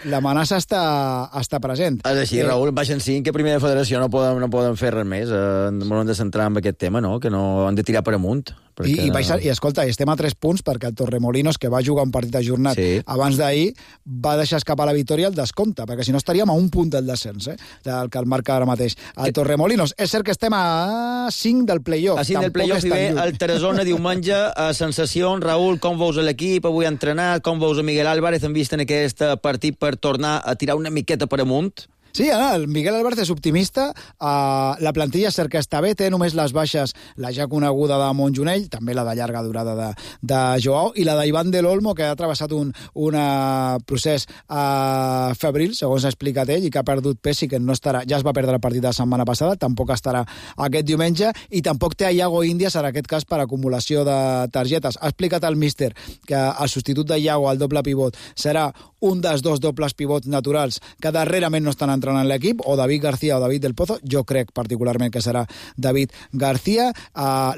l'amenaça està present. És així, Raül, baixen 5, que primera federació no poden fer res més. No hem de centrar en aquest tema, no? Que no han de tirar per amunt. Perquè... I escolta, estem a 3 punts perquè el Torremolinos, que va jugar un partit ajornat abans d'ahir, va deixar escapar la victòria al descompte, perquè si no estaríem a un punt del descens, del que el marca ara mateix. El Torremolinos, és cert que estem a 5 del play-off. A 5 del play-off i bé el Tarazona diumenge. Sensacions, Raül, com veus l'equip? Avui ha entrenat, com veus a Miguel Álvarez? Han vist en aquest partit per tornar a tirar una miqueta per amunt? Sí, el Miguel Álvarez és optimista, la plantilla és cert que està bé, té només les baixes, la ja coneguda de Montjonell, també la de llarga durada de Joao, i la d'Ivan del Olmo, que ha travessat un procés febril, segons ha explicat ell, i que ha perdut pes i que no estarà, ja es va perdre el partit de la setmana passada, tampoc estarà aquest diumenge, i tampoc té a Iago Índias, en aquest cas, per acumulació de targetes. Ha explicat el míster que el substitut de Iago, el doble pivot, serà un dels 2 dobles pivots naturals que darrerament no estan entrenant l'equip, o David García o David del Pozo. Jo crec particularment que serà David García.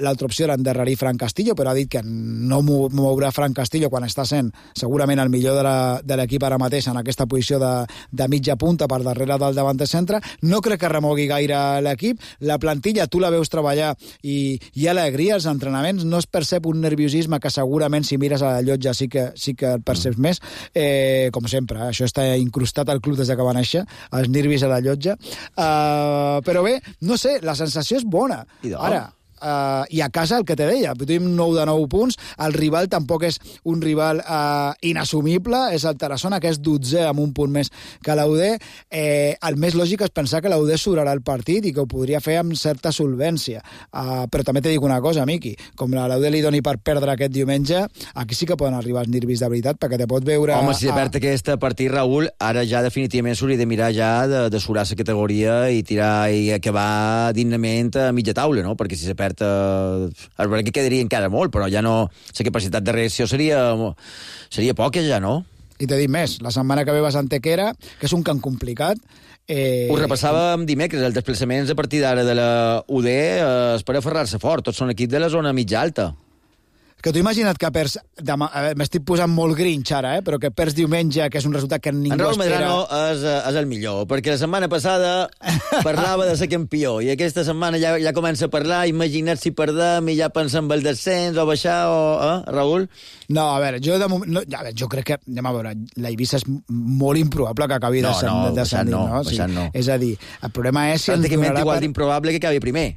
L'altra opció era endarrerir Fran Castillo, però ha dit que no mourà Fran Castillo quan està sent segurament el millor de l'equip ara mateix en aquesta posició de mitja punta per darrere del davanter centre. No crec que remogui gaire l'equip. La plantilla, tu la veus treballar i hi ha alegria als entrenaments, no es percep un nerviosisme que segurament si mires a la llotja sí que el perceps més, com sempre, això està incrustat al club des que va néixer, els nervis a la llotja, però bé, no sé, la sensació és bona. Ara, i a casa el que te deia, tenim 9 de 9 punts, el rival tampoc és un rival inassumible, és el Tarazona, que és 12è amb un punt més que l'UD. El més lògic és pensar que l'UD sobrarà el partit i que ho podria fer amb certa solvència, però també te dic una cosa, Miqui, com l'UD li doni per perdre aquest diumenge, aquí sí que poden arribar els nervis de veritat, perquè te pot veure... Home, si perd aquest partit, Raül, ara ja definitivament s'hauria de mirar ja de surar la categoria i tirar i acabar dignament a mitja taula, no? Perquè si se perd és veritat que quedaria encara molt, però ja no... La capacitat de reacció seria poca ja, no? I t'he dit més, la setmana que ve vas a Antequera, que és un camp complicat. Ho repassàvem dimecres, els desplaçaments a partir d'ara de la UD és per aferrar-se fort, tots són equips de la zona mitja alta. Que tu imagina't que perds... M'estic posant molt grinch ara, però que perds diumenge, que és un resultat que ningú espera... En Raül Medrano és el millor, perquè la setmana passada parlava de ser campió, i aquesta setmana ja comença a parlar, imagina't si perdem i ja pensa en el descens o baixar, Raül? No, a veure, jo crec que, anem a veure, la Eivissa és molt improbable que acabi descendint, no? No. És a dir, el problema és... Pràcticament igual d'improbable que acabi primer,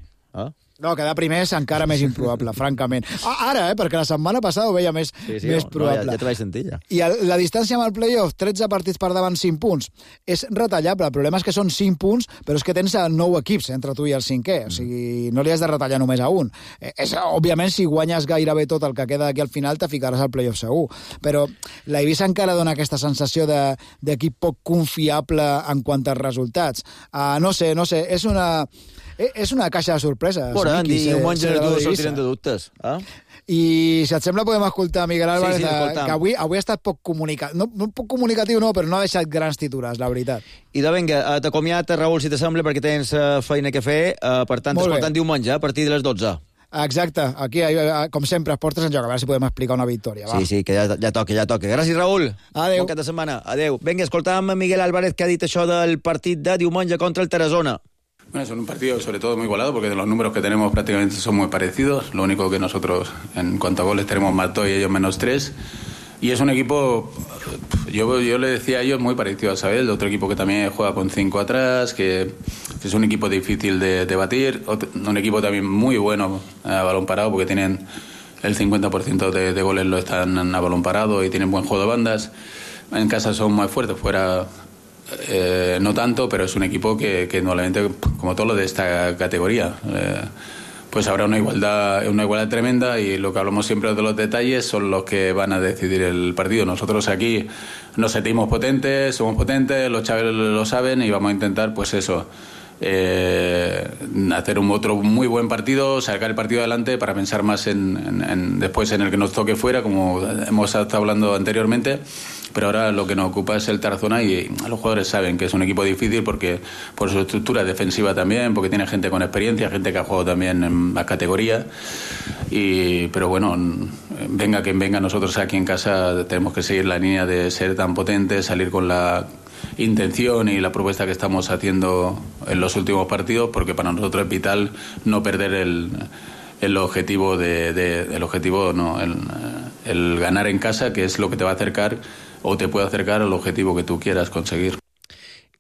No, quedar primer és encara més improbable, francament. Ara, perquè la setmana passada ho veia més probable. Ja te vaig sentir, ja. I la distància amb el play-off, 13 partits per davant, 5 punts, és retallable. El problema és que són 5 punts, però és que tens 9 equips entre tu i el 5è. O sigui, no li has de retallar només a un. Òbviament, si guanyes gairebé tot el que queda aquí al final, te ficaràs al play-off segur. Però la Eivissa encara dona aquesta sensació d'equip poc confiable en quant als resultats. No sé, és una caixa de sorpreses. Diumenge els sortiran de dubtes. I, si et sembla, podem escoltar Miguel Álvarez, que avui ha estat poc comunicatiu. No poc comunicatiu, no, però no ha deixat grans titulars, la veritat. I vinga, t'acomiat, Raül, si t'assembla, perquè tens feina que fer. Per tant, t'escoltant diumenge, a partir de les 12. Exacte, aquí, com sempre, es portes en joc. A veure si podem explicar una victòria. Va. Sí, que ja toca. Gràcies, Raül. Adéu. Bon cap de setmana. Adéu. Vinga, escoltàvem Miguel Álvarez, que ha dit això del partit de diumenge contra el Tarazona. Bueno, es un partido sobre todo muy igualado porque de los números que tenemos prácticamente son muy parecidos. Lo único que nosotros en cuanto a goles tenemos más 2 y ellos menos 3. Y es un equipo, yo le decía a ellos, muy parecido a Sabel, otro equipo que también juega con 5 atrás, que es un equipo difícil de batir, un equipo también muy bueno a balón parado porque tienen el 50% de goles lo están a balón parado y tienen buen juego de bandas. En casa son más fuertes, fuera... no tanto, pero es un equipo que normalmente, como todo lo de esta categoría, pues habrá una igualdad tremenda y lo que hablamos siempre de los detalles son los que van a decidir el partido. Nosotros aquí nos sentimos potentes, somos potentes, los chavales lo saben y vamos a intentar, pues eso, hacer otro muy buen partido, sacar el partido adelante para pensar más en después en el que nos toque fuera, como hemos estado hablando anteriormente, pero ahora lo que nos ocupa es el Tarazona y los jugadores saben que es un equipo difícil porque por su estructura defensiva también, porque tiene gente con experiencia, gente que ha jugado también en la categoría, pero bueno, venga quien venga, nosotros aquí en casa tenemos que seguir la línea de ser tan potentes, salir con la intención y la propuesta que estamos haciendo en los últimos partidos, porque para nosotros es vital no perder el objetivo el ganar en casa, que es lo que te va a acercar o te puede acercar al objetivo que tú quieras conseguir.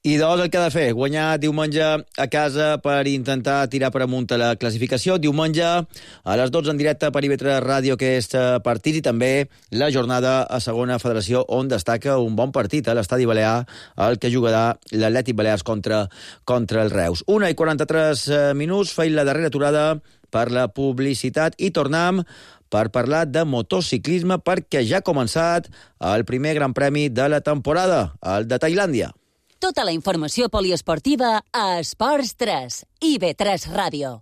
I dos el que ha de fer, guanyar diumenge a casa per intentar tirar per amunt a la classificació. Diumenge a les 12 en directe per IB3 Ràdio aquest partit i també la jornada a segona federació on destaca un bon partit a l'Estadi Balear, el que jugarà l'Atlètic Balears contra el Reus. 1:43 minuts, feim la darrera aturada per la publicitat i tornem per parlar de motociclisme perquè ja ha començat el primer Gran Premi de la temporada, el de Tailàndia. Tota la informació poliesportiva a Esports 3, IB3 Ràdio.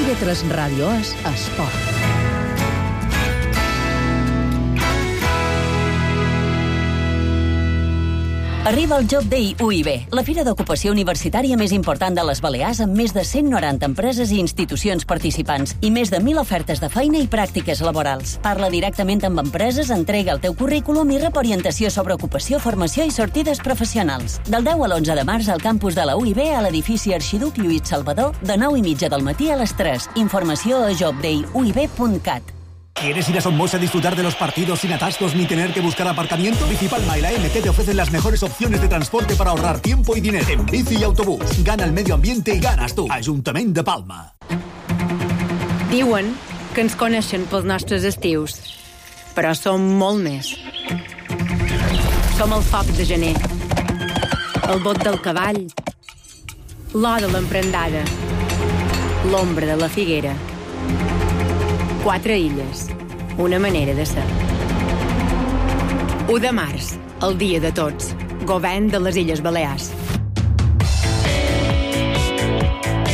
IB3 Ràdio és esport. Arriba el Job Day UIB, la fira d'ocupació universitària més important de les Balears amb més de 190 empreses i institucions participants i més de 1.000 ofertes de feina i pràctiques laborals. Parla directament amb empreses, entrega el teu currículum i rep orientació sobre ocupació, formació i sortides professionals. Del 10 a l'11 de març al campus de la UIB a l'edifici Arxiduc Lluís Salvador de 9:30 del matí a les 3. Informació a jobdayuib.cat. ¿Quieres ir a Somos a disfrutar de los partidos sin atascos ni tener que buscar aparcamiento? Bicipalma y la MT te ofrecen las mejores opciones de transporte para ahorrar tiempo y dinero. En bici y autobús. Gana el medio ambiente y ganas tú. Ajuntament de Palma. Diuen que ens coneixen pels nostres estius, però som molt més. Som el foc de gener, el bot del cavall, l'or de l'emprendada, l'ombra de la figuera. 4 illes, una manera de ser. 1 de març, el dia de tots. Govern de les Illes Balears.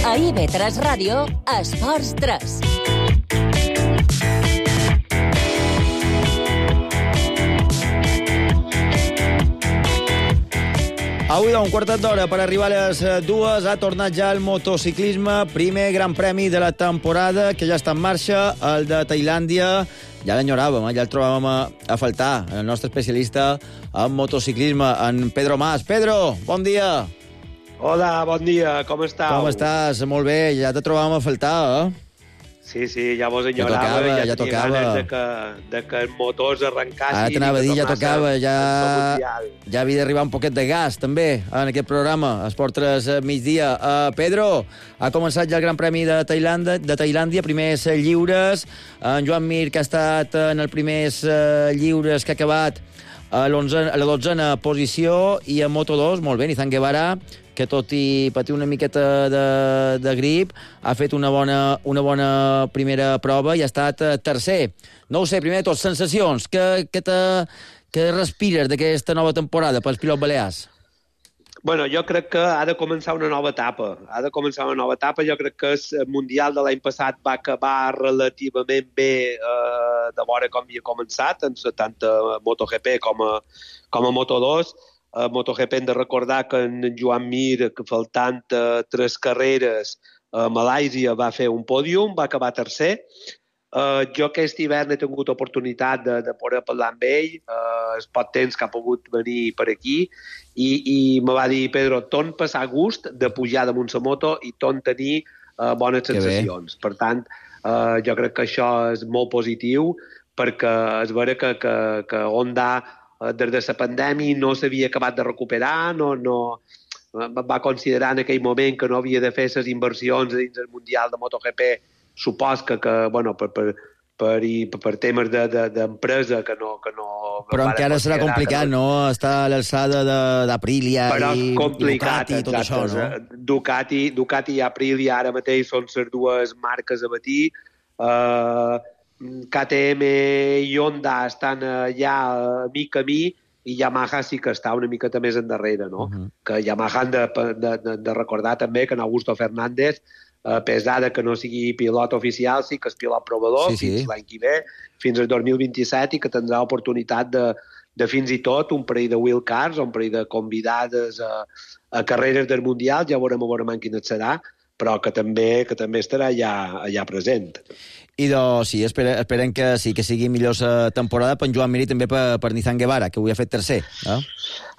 A IB3 Ràdio, Esports 3. Avui d'un quartet d'hora per arribar a les 2 ha tornat ja el motociclisme, primer Gran Premi de la temporada que ja està en marxa, el de Tailàndia. Ja l'enyoràvem, ja el trobàvem a faltar, el nostre especialista en motociclisme, en Pedro Mas. Pedro, bon dia. Hola, bon dia, com estàs? Com estàs? Molt bé, ja te trobàvem a faltar, eh? Sí, ja vos enyorava, ja tenia ganes de que els motors arrencassin. Ara t'anava a dir, ja tocava, ja havia d'arribar un poquet de gas, també, en aquest programa, Esport 3 migdia. Pedro, ha començat ja el Gran Premi de Tailàndia, primers lliures. En Joan Mir, que ha estat en els primers lliures, que ha acabat a la 12a posició, i en Moto2, molt bé, Nizan Guevara, que tot i patir una miqueta de grip, ha fet una bona primera prova i ha estat tercer. No ho sé, primer de tot, sensacions. Què respires d'aquesta nova temporada pels pilots balears? Bueno, jo crec que ha de començar una nova etapa. Jo crec que el Mundial de l'any passat va acabar relativament bé de veure com havia començat, tant a MotoGP com a Moto2. A MotoGP hem de recordar que en Joan Mir, que faltant 3 carreres, a Malàisia va fer un pòdium, va acabar tercer. Jo aquest hivern he tingut oportunitat de poder parlar amb ell, el poc temps que ha pogut venir per aquí, i me va dir, Pedro, torn passar gust de pujar damunt la moto i torn tenir bones sensacions. Per tant, jo crec que això és molt positiu, perquè és vera que Honda des de la pandèmia no s'havia acabat de recuperar, va considerar en aquell moment que no havia de fer les inversions dins el Mundial de MotoGP, supos que bueno, per temes d'empresa que no... Però encara serà complicat, no?, estar a l'alçada d'Aprilia i Ducati i tot això, no? Ducati i Aprilia ara mateix són les dues marques a batir. KTM i Honda estan allà mica a mi, i Yamaha sí que està una miqueta més endarrere, no? Que Yamaha han de recordar també que en Augusto Fernández, a pesar que no sigui pilot oficial, sí que és pilot provador fins l'any que ve, fins al 2027, i que tindrà oportunitat de fins i tot un parell de wildcards, un parell de convidades a carreres del Mundial, ja veurem quina serà, però que també estarà allà present. I doncs sí, esperem que sí, que sigui millor la temporada per en Joan Mir i també per Nizan Guevara, que avui ha fet tercer.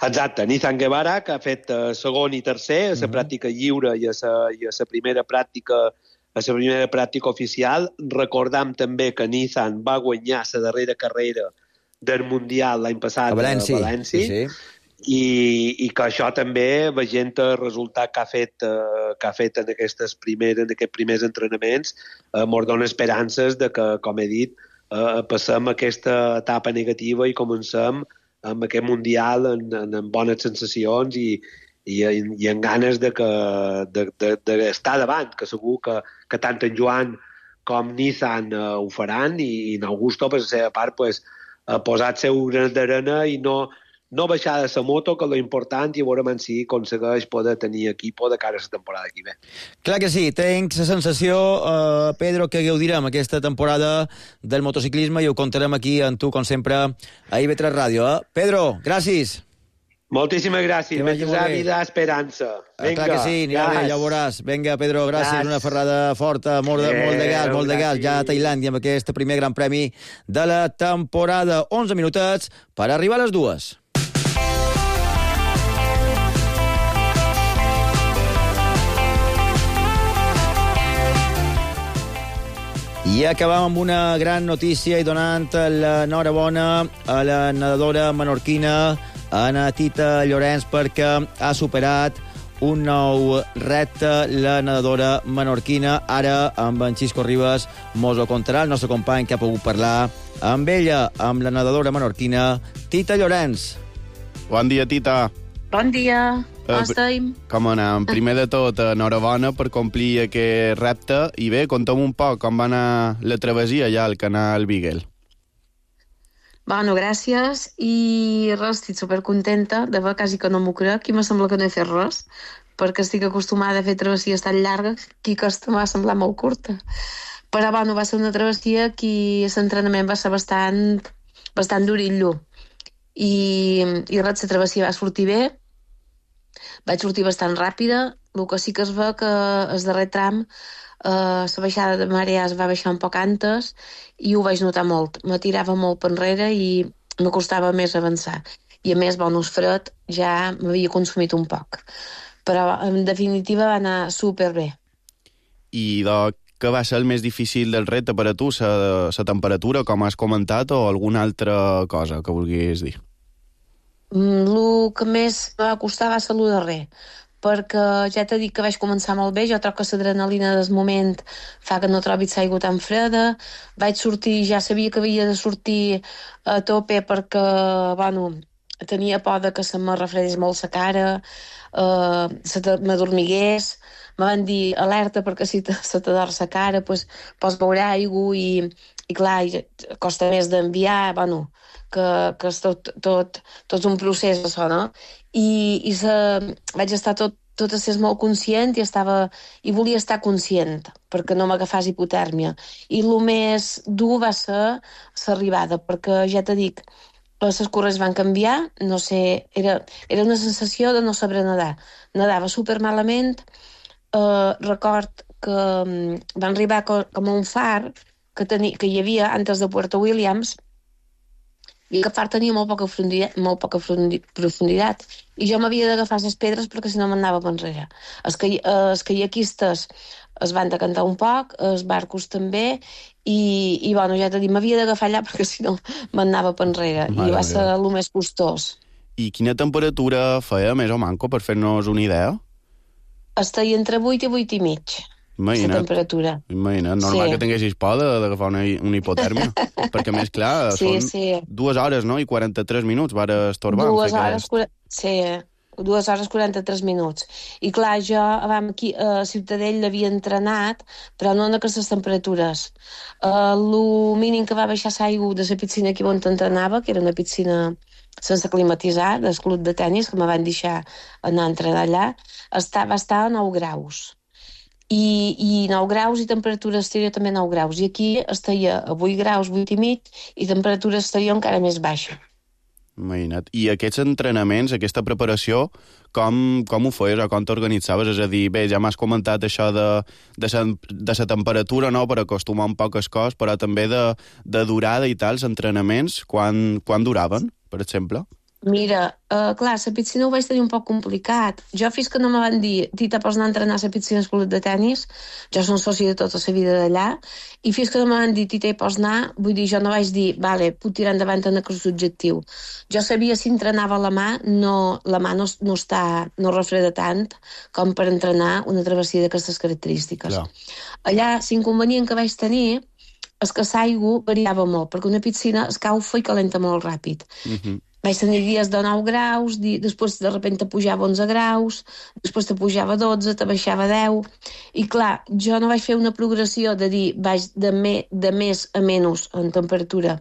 Exacte, Nizan Guevara, que ha fet segon i tercer a la pràctica lliure i a la primera pràctica oficial. Recordam també que Nizan va guanyar la darrera carrera del Mundial l'any passat a València. Sí. I que això també, veient el resultat que ha fet en aquests primers entrenaments, mos dona esperances de que, com he dit, passem aquesta etapa negativa i comencem amb aquest Mundial amb bones sensacions i amb ganes d'estar davant, que segur que tant en Joan com Nizan ho faran, i en Augusto, per la seva part, posar-se un granet d'arena i no baixar de la moto, que l'important, i veurem si aconsegueix poder tenir equip de cara a la temporada que ve. Clar que sí, tinc la sensació, Pedro, que gaudirem aquesta temporada del motociclisme i ho contarem aquí amb tu, com sempre, a IB3 Ràdio. Pedro, gràcies. Moltíssimes gràcies. Mentre la vida, esperança. Vinga, clar que sí, anirà bé, ja ho veuràs. Vinga, Pedro, gràcies. Una ferrada forta, molt de gas, ja a Tailàndia, amb aquest primer gran premi de la temporada. 11 minutets per arribar a les 2. I acabam amb una gran notícia i donant l'enhorabona a la nedadora menorquina Ana Tita Llorenç, perquè ha superat un nou repte la nedadora menorquina. Ara, amb en Xisco Ribas, mos ho contarà el nostre company que ha pogut parlar amb ella, amb la nedadora menorquina Tita Llorenç. Bon dia, Tita. Bon dia. Com estem? Com anem? Primer de tot, enhorabona per complir aquest repte. I bé, conta'm un poc com va anar la travessia allà al canal Beagle. Bueno, gràcies. I res, estic supercontenta de veure, quasi que no m'ho crec, i me sembla que no he fet res, perquè estic acostumada a fer travessies tan llargues que aquesta m'ha semblat molt curta. Però, bueno, va ser una travessia que l'entrenament va ser bastant durillo. I res, la travessia va sortir bé. Vaig sortir bastant ràpida. El que sí que es veu que el darrer tram la baixada de marees va baixar un poc antes i ho vaig notar molt. Me tirava molt per enrere i me costava més avançar. I a més, bonus fred ja m'havia consumit un poc. Però, en definitiva, va anar superbé. I què va ser el més difícil del repte per a tu? La temperatura, com has comentat, o alguna altra cosa que vulguis dir? El que més va costar va ser el darrer, perquè ja t'he dit que vaig començar molt bé. Jo trobo que l'adrenalina del moment fa que no trobis l'aigua tan freda. Vaig sortir, ja sabia que havia de sortir a tope perquè, bueno, tenia por de que se me refredés molt la cara, m'adormigués. Me van dir alerta perquè si se t'ador la cara, pots beure aigua i clar, costa més d'enviar, bueno, que és tot un procés, això, no? I vaig estar tot a ser molt conscient i volia estar conscient perquè no m'agafàs hipotèrmia. I el més dur va ser l'arribada, perquè ja t'he dit, les corrents van canviar, no sé, era una sensació de no saber nedar. Nedava supermalament. Record que van arribar com a un far que hi havia antes de Puerto Williams, i aquest far tenia molt poca profunditat, i jo m'havia d'agafar les pedres perquè si no m'anava per enrere. Els caiaquistes es van decantar un poc, els barcos també, i bueno, ja t'he dit, m'havia d'agafar allà perquè si no m'anava per enrere, i va ser el més costós. I quina temperatura feia, més o manco, per fer-nos una idea? Estaria entre 8 i 8 i mig. Imagina't, la temperatura. Imagina't, normal que tinguessis por d'agafar una hipotèrmia, perquè més clar, són 2 hores, no?, i 43 minuts, va estorbar. 2 hores 43 minuts. I clar, jo aquí a Ciutadella l'havia entrenat, però no en aquestes temperatures. El mínim que va baixar l'aigua de la piscina aquí on entrenava, que era una piscina sense climatitzar, del club de tennis, que me van deixar anar a entrenar allà, va estar a 9 graus. I 9 graus i temperatura exterior també 9 graus. I aquí estaria a 8 graus, 8 i mig, i temperatura exterior encara més baixa. Imagina't. I aquests entrenaments, aquesta preparació, com ho feies o com t'organitzaves? És a dir, bé, ja m'has comentat això de la temperatura, no?, per acostumar un poc les coses, però també de durada i tal, els entrenaments, quan duraven, per exemple? Mira, clar, la piscina ho vaig tenir un poc complicat. Jo, fins que no me van dir, Tita, pots anar a entrenar a la piscina al club de tenis, jo soc soci de tota la vida d'allà, i fins que no me van dir, Tita, pots anar, vull dir, jo no vaig dir, vale, puc tirar endavant en aquest objectiu. Jo sabia si entrenava la mà no refreda tant com per entrenar una travessia d'aquestes característiques. Clar. Allà, l'inconvenient que vaig tenir és que l'aigua variava molt, perquè una piscina escaufa i calenta molt ràpid. Vaig tenir dies de 9 graus, després de repente pujava 11 graus, després te pujava 12, te baixava 10, i clar, jo no vaig fer una progressió de dir vaig de més a menys en temperatura.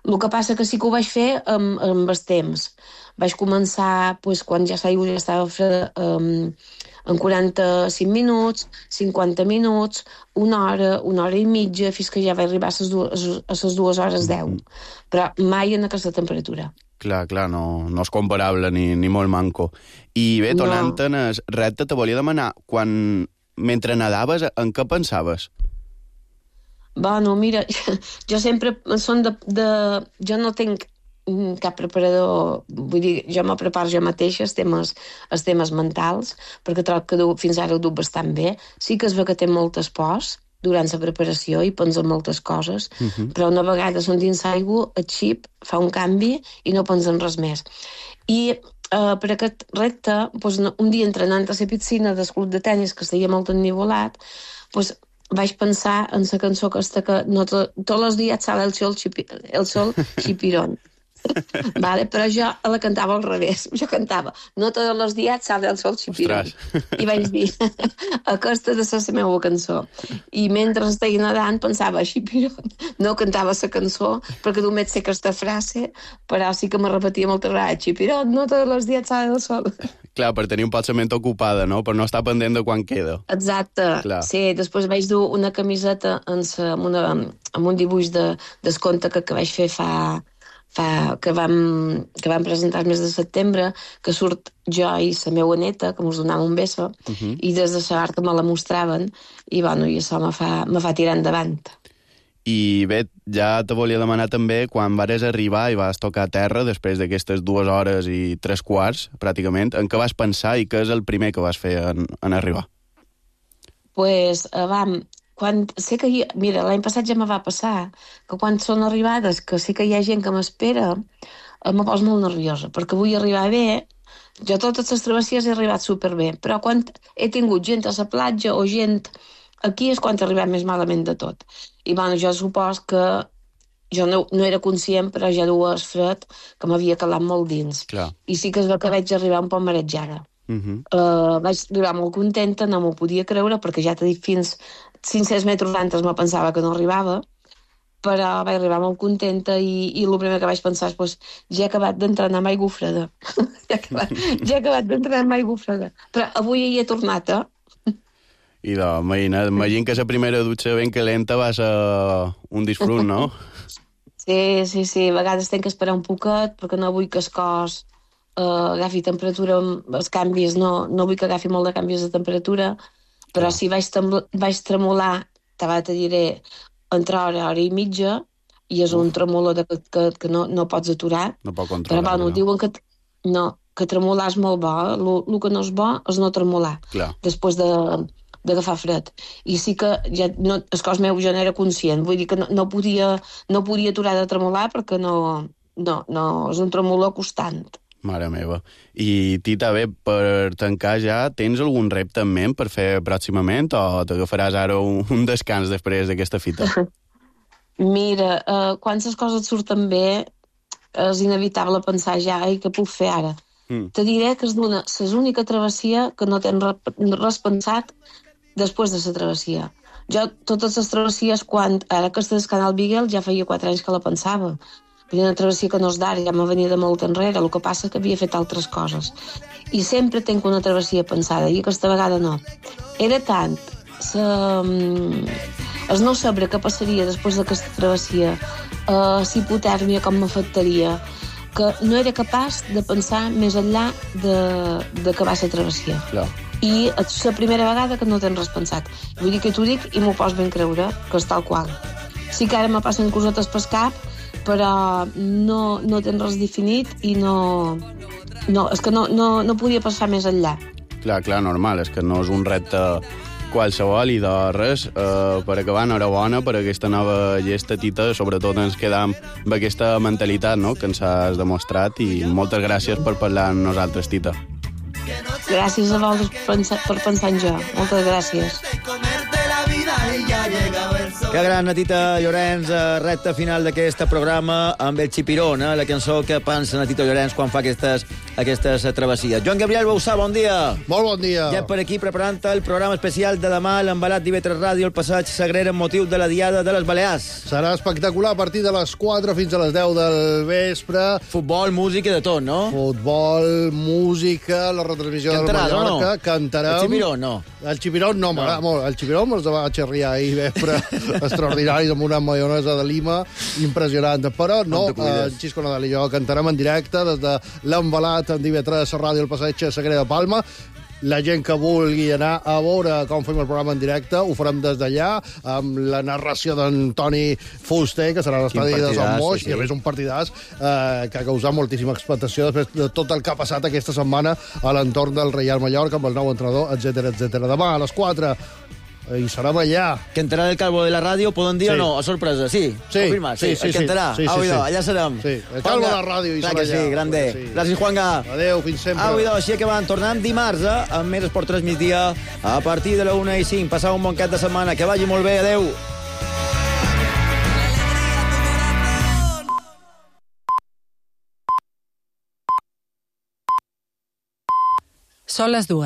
El que passa que sí que ho vaig fer amb els temps. Vaig començar, quan ja l'aigua ja estava freda, en 45 minuts, 50 minuts, una hora i mitja, fins que ja vaig arribar a les 2 hores 10. Però mai en aquesta temperatura. Clar, no és comparable ni molt manco. I bé, tornant en el repte, te volia demanar, mentre nadaves, en què pensaves? Bueno, mira, jo sempre jo no tinc cap preparador, vull dir, jo me preparo jo mateixa els temes mentals, perquè trobo que fins ara ho duc bastant bé. Sí que es ve que té moltes pors durant la preparació i pensa en moltes coses, però una vegada són dins l'aigua, el xip fa un canvi i no pensa en res més. I per aquest repte, un dia entrenant a la piscina del club de tenis, que estaria molt ennivolat, vaig pensar en la cançó aquesta que tots els dies sale el sol chipirón. Vale, però jo la cantava al revés. Jo cantava, no tots els dies sale el sol chipirón. I vaig dir, aquesta ha de ser la meva cançó. I mentre estava nedant pensava, chipirón. No cantava la cançó, perquè només sé aquesta frase, però sí que me repetia moltes vegades, chipirón, no tots els dies sale el sol. Clar, per tenir un poc la ment ocupada, no? Per no estar pendent de quan queda. Exacte. Clar. Sí, després vaig dur una camiseta amb un dibuix del conte que vaig fer que vam presentar el mes de setembre, que surt jo i la meva neta, que mos donava un beso, i des de la que me la mostraven, i això me fa tirar endavant. I bé, ja te volia demanar també, quan vares arribar i vas tocar a terra, després d'aquestes 2 hores i 3 quarts, pràcticament, en què vas pensar i què és el primer que vas fer en arribar? Mira, l'any passat ja me va passar que quan són arribades, que sé que hi ha gent que m'espera, me poso molt nerviosa, perquè vull arribar bé. Jo totes les travessies he arribat superbé, però quan he tingut gent a la platja o gent aquí és quan he arribat més malament de tot. I jo supos que jo no era conscient, però ja duia el fred que m'havia calat molt dins. Clar. I sí que és que vaig arribar un poc marejada. Vaig arribar molt contenta, no m'ho podia creure, perquè ja t'he dit, fins 500 metres d'antes me pensava que no arribava, però vaig arribar molt contenta i el primer que vaig pensar és ja he acabat d'entrenar amb aigua freda. Ja he acabat d'entrenar amb aigua freda. Però avui hi he tornat, I imagina que la primera dutxa ben calenta va ser un disfrut, no? Sí. A vegades tenc que esperar un poquet perquè no vull que el cos agafi temperatura, els canvis, no vull que agafi molt de canvis de temperatura, però si vaig tremolar, te diré, entre hora i mitja, i és un tremolor que no pots aturar. No pot controlar. Però diuen que tremolar és molt bo, el que no és bo és no tremolar, després d'agafar fred. I sí que el cos meu ja no era conscient, vull dir que no podia aturar de tremolar perquè no, és un tremolor constant. Mare meva. I Tita, bé, per tancar ja, tens algun repte en ment per fer pròximament o t'agafaràs ara un descans després d'aquesta fita? Mira, quan les coses surten bé és inevitable pensar ja què puc fer ara. Te diré que és l'única travessia que no tens res pensat després de la travessia. Jo, totes les travessies, ara que estàs al Canal Beagle, ja feia 4 anys que la pensava. Una travessia que no és d'ara, ja me venia de molt enrere, el que passa que havia fet altres coses. I sempre tinc una travessia pensada, i aquesta vegada no. Era tant el no saber què passaria després d'aquesta travessia, la hipotèrmia com m'afectaria, que no era capaç de pensar més enllà d'acabar la travessia. Clar. I és la primera vegada que no tens res pensat. Vull dir que t'ho dic i m'ho pots ben creure, que és tal qual. Sí que ara me passen cosetes pel cap, però no tens res definit i és que no podia passar més enllà. Clar, normal, és que no és un repte qualsevol i de res. Per acabar, enhorabona per aquesta nova llesta, Tita, sobretot ens quedam amb aquesta mentalitat, no?, que ens has demostrat, i moltes gràcies per parlar amb nosaltres, Tita. Gràcies a vosaltres per pensar en jo. Moltes gràcies. Que gran, Tita Llorenç, recta final d'aquest programa amb el Chipirón, la cançó que pensa Tito Llorenç quan fa aquestes travessies. Joan Gabriel Bausà, bon dia. Molt bon dia. Ja per aquí preparant el programa especial de demà, l'embalat d'IV3 Ràdio, el passeig Sagrera amb motiu de la Diada de les Balears. Serà espectacular a partir de les 4 fins a les 10 del vespre. Futbol, música i de tot, no? Futbol, música, la retransmissió del Mallorca. No? Cantarem. El Chipirón, no? El Chipirón no, m'agrada molt. El Chipirón me'ls va xerriar ahir vespre extraordinaris amb una maionesa de Lima impressionant. Però no, Xisco Nadal i jo cantarem en directe des de l'embalat en IV3 Ràdio, el passeig Sagrera de Palma. La gent que vulgui anar a veure com fem el programa en directe ho farem des d'allà, amb la narració d'en Toni Fuster, que serà a l'estadi de Sant Moix, i a més un partidàs que ha causat moltíssima expectació després de tot el que ha passat aquesta setmana a l'entorn del Reial Mallorca amb el nou entrenador, etc. Demà a les 4 i serem allà. Cantarà el Calvo de la ràdio, poden dir o no? A sorpresa, sí? Confirmat, sí. El cantarà. Allà serem. Sí, el Calvo de la ràdio i serà allà. Sí, grande. Gràcies, Juanga. Adéu, fins sempre. Així acabant, tornant dimarts amb més Esport 3 migdia a partir de la 1:05. Passau un bon cap de setmana, que vagi molt bé, adéu. Són les 2.